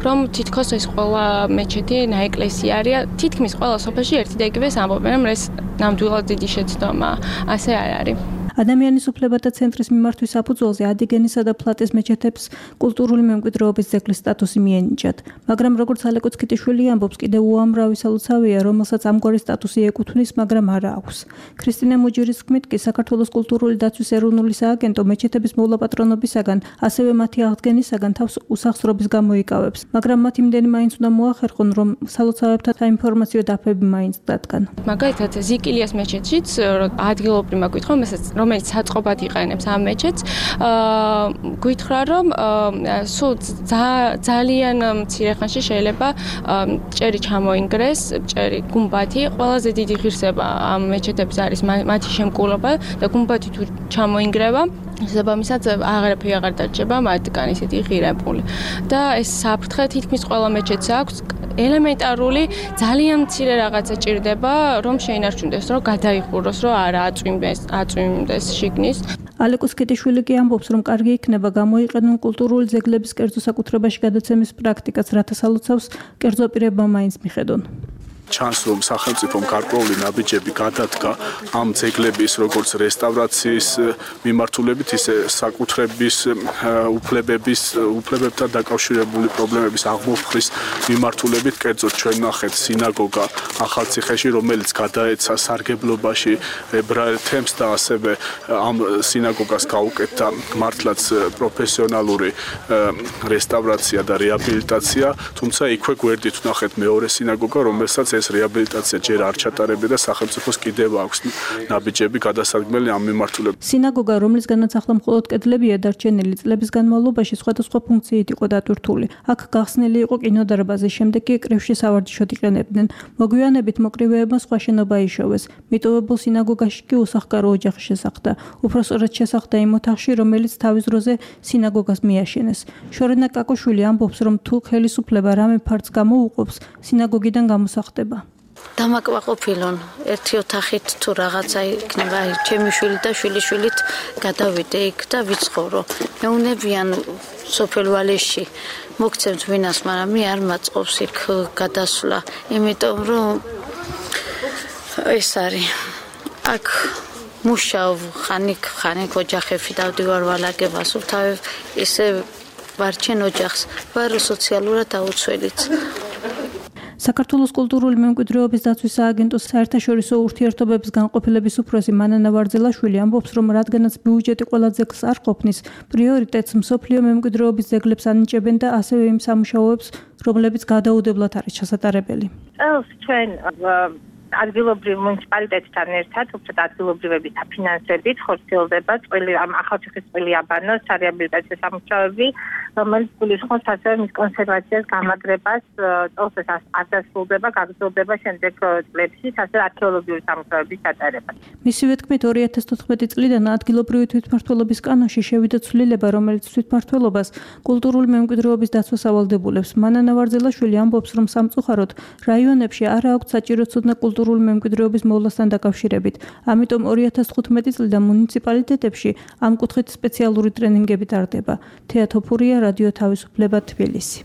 S16: რომ თითქოს ეს ყველა მეჩეთი ნაეკლესიარია თითქმის ყველა სოფელში ერთი და იგივეს ამბობენ რომ ეს ნამდვილად დიდი შეცდომა ასე არ არის
S15: ადამიანის უფლებათა ცენტრის მიმართვის საფუძველზე ადიგენისა და ფლატეს მეჩეთებს კულტურული მემკვიდრეობის ძეგლის სტატუსი მიენიჭათ. მაგრამ როგორც ალეკო ცქიტიშვილი ამბობს, კიდევ უამრავი სალოცავია, რომელსაც ამგვარი სტატუსი ეკუთვნის, მაგრამ არა აქვს. ქრისტინე მუჯირის თქმით კი საქართველოს კულტურული დაცვის ეროვნული სააგენტო მეჩეთების მოვლა-პატრონობისაგან, ასევე მათი აღდგენისაგან თავს უსახსრობის გამოიკავებს, მაგრამ მათ იმდენი მაინც უნდა მოახერხონ, რომ სალოცავებთან საინფორმაციო დაფები მაინც დადგან.
S16: მაგალითად ზიკილიას მეჩეთშიც ადგილობრივმა გვითხრომ, რომ რომელიც საწყობად იყენებს ამ მეჩეთს, გითხრა რომ სულ ძალიან მცირე ხანში შეიძლება ჭერი ჩამოინგრეს, ჭერი გუმბათი, ყველაზე დიდი ღირსება ამ მეჩეთების არის მათი შემკულობა და გუმბათი თუ ჩამოინგრევა შესაბამისად აღარაფერი აღარ დარჩება მათგან ისეთი ღირებული. და ეს საფრთხე თითქმის ყველა მეჩეთს აქვს. ელემენტარული ძალიან მცირე რაღაცა ჭირდება, რომ შეინარჩუნდეს, რომ გადაიხუროს, რომ არა აწვიმდეს შიგნის.
S15: ალეკოს კეტიშვილი კი ამბობს, რომ კარგი იქნება გამოიყენონ კულტურული ძეგლების კერძო საკუთრებაში გადაცემის პრაქტიკას, რათა სალოცავს კერძო პირებმა მაინც მიხედონ.
S17: ჩანს რომ სახელმწიფომ გარკვეული ნაბიჯები გადადგა ამ ძეგლების როგორც რესტავრაციის მიმართულებით ისე საკუთრების უფლებებთან დაკავშირებული პრობლემების აღმოფხრის მიმართულებით კერძოდ ჩვენ ნახეთ სინაგოგა ახალციხეში რომელიც გადაეცა სარგებლობაში ებრაელ თემს და ასევე ამ სინაგოგას გაუკეთდა მართლაც პროფესიონალური რესტავრაცია და რეაბილიტაცია თუმცა იქვე გვერდით ვნახეთ მეორე სინაგოგა რომელსაც ეს რეაბილიტაცია ჯერ არ ჩატარებია და სახელმწიფოს კიდევ აქვს ნაბიჯები გადასარგმელი ამ მიმართულებით.
S15: სინაგოგა, რომლისგანაც ახლა მხოლოდ კედლებია დარჩენილი, წლების განმავლობაში სხვადასხვა ფუნქციით იყო დატვირთული. აქ გახსნილი იყო კინოდარბაზი, შემდეგ კი კრივში სავარჯიშოდ იყენებდნენ. მოგვიანებით მოკრივეებმა სხვა შენობა იშოვეს. მიტოვებულ სინაგოგაში კი უსახკარო ოჯახი შესახდა. უფრო სწორად შესახდა იმ ოთახში, რომელიც თავის დროზე სინაგოგას მიაშენეს. შორენა კაკოშვილი ამბობს, რომ თუ ხელისუფლება რამე ფარდს გამოუყოფს, სინაგოგიდან გამოსახდება.
S19: დამაკმაყოფილონ ერთი ოთახით თუ რაღაცა იქნება ჩემი შვილი და შვილიშვილით გადავიდე იქ და ვიცხოვრო მეუნებიან სოფელ ვალეში მოგცემთ ვინას მაგრამ მე არ მაწყობს იქ გადასვლა იმიტომ რომ ეს არის აქ მუშაობ ხანიკ ოჯახებში დავდივარ ვალაგებას თავი ისე ვარჩენ ოჯახს ვარ სოციალურად აუცილებლად
S15: საქართველოს კულტურული მემკვიდრეობის დაცვის სააგენტოს საერთაშორისო ურთიერთობების განყოფილების უფროსი მანანა ვარძელაშვილი ამბობს, რომ რადგანაც ბიუჯეტი ყველა ძეგლს არ ყოფნის, პრიორიტეტს მსოფლიო მემკვიდრეობის ძეგლებს ანიჭებენ და ასევე იმ სამუშაოებს, რომლებიც გადაუდებლად არის ჩასატარებელი.
S20: წელს ჩვენ ადგილობრივ მუნიციპალიტეტთან ერთად, უბრალოდ ადგილობრივების საფინანსებით ხორციელდება ამ ახალციხის წვილი აბანოს რეაბილიტაციო სამუშაოები, რომელიც გულისხმობს ასევე მის კონსერვაციას, გამაგრებას, წელს ეს არ დასრულდება, გაგრძელდება შემდეგ წლებში, ასევე არქეოლოგიური სამუშაოების ჩატარება.
S15: მისივე თქმით, 2014 წლიდან ადგილობრივი თვითმმართველობის კანონში შევიდა ცვლილება, რომელიც თვითმმართველობას კულტურული მემკვიდრეობის დაცვას ავალდებულებს. მანანა ვარძელაშვილი ამბობს, რომ სამწუხაროდ რაიონებში არ აქვს საჭირო ცოდნა კულტურული მემკვიდრეობის მოვლასთან დაკავშირებით. ამიტომ 2015 წლიდან მუნიციპალიტეტებში ამ კუთხით სპეციალური ტრენინგები ტარდება. თეატოფურია რადიო თავისუფლება თბილისი.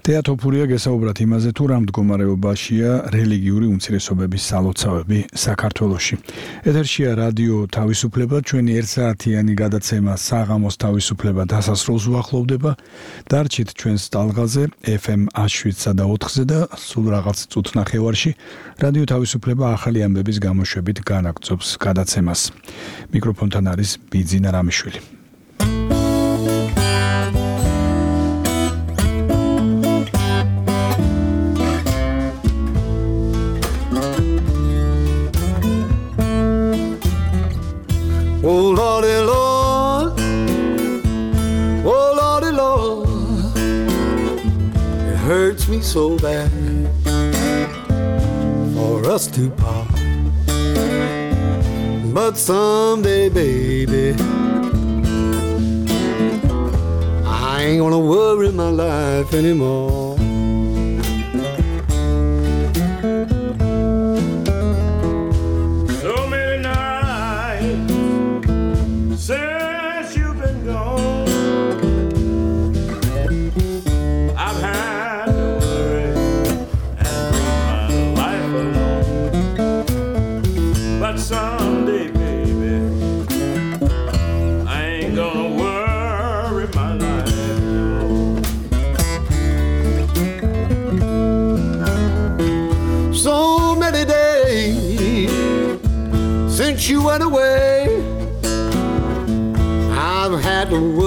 S2: თეატოფურია გესაუბრათ იმაზე, თუ რა მდგომარეობაშია რელიგიური უმცირესობების სალოცავები საქართველოში. ეთერშია რადიო თავისუფლება, ჩვენი 1 საათიანი გადაცემა საღამოს თავისუფლება დასასრულს უახლოვდება. დარჩით ჩვენს ტალღაზე FM 107-სა და 4-ზე და სულ რაღაც წუთ ნახევარში რადიო თავისუფლება ახალი ამბების გამოშვებით განაგრძობს გადაცემას. მიკროფონთან არის ბიძინა რამიშვილი.
S21: Oh Lordy Lord, oh Lordy Lord, it hurts me so bad for us to part. But someday, baby, I ain't gonna worry my life anymore.
S22: Someday, baby, I ain't gonna worry my life anymore.
S21: So many days since you went away, I've had to worry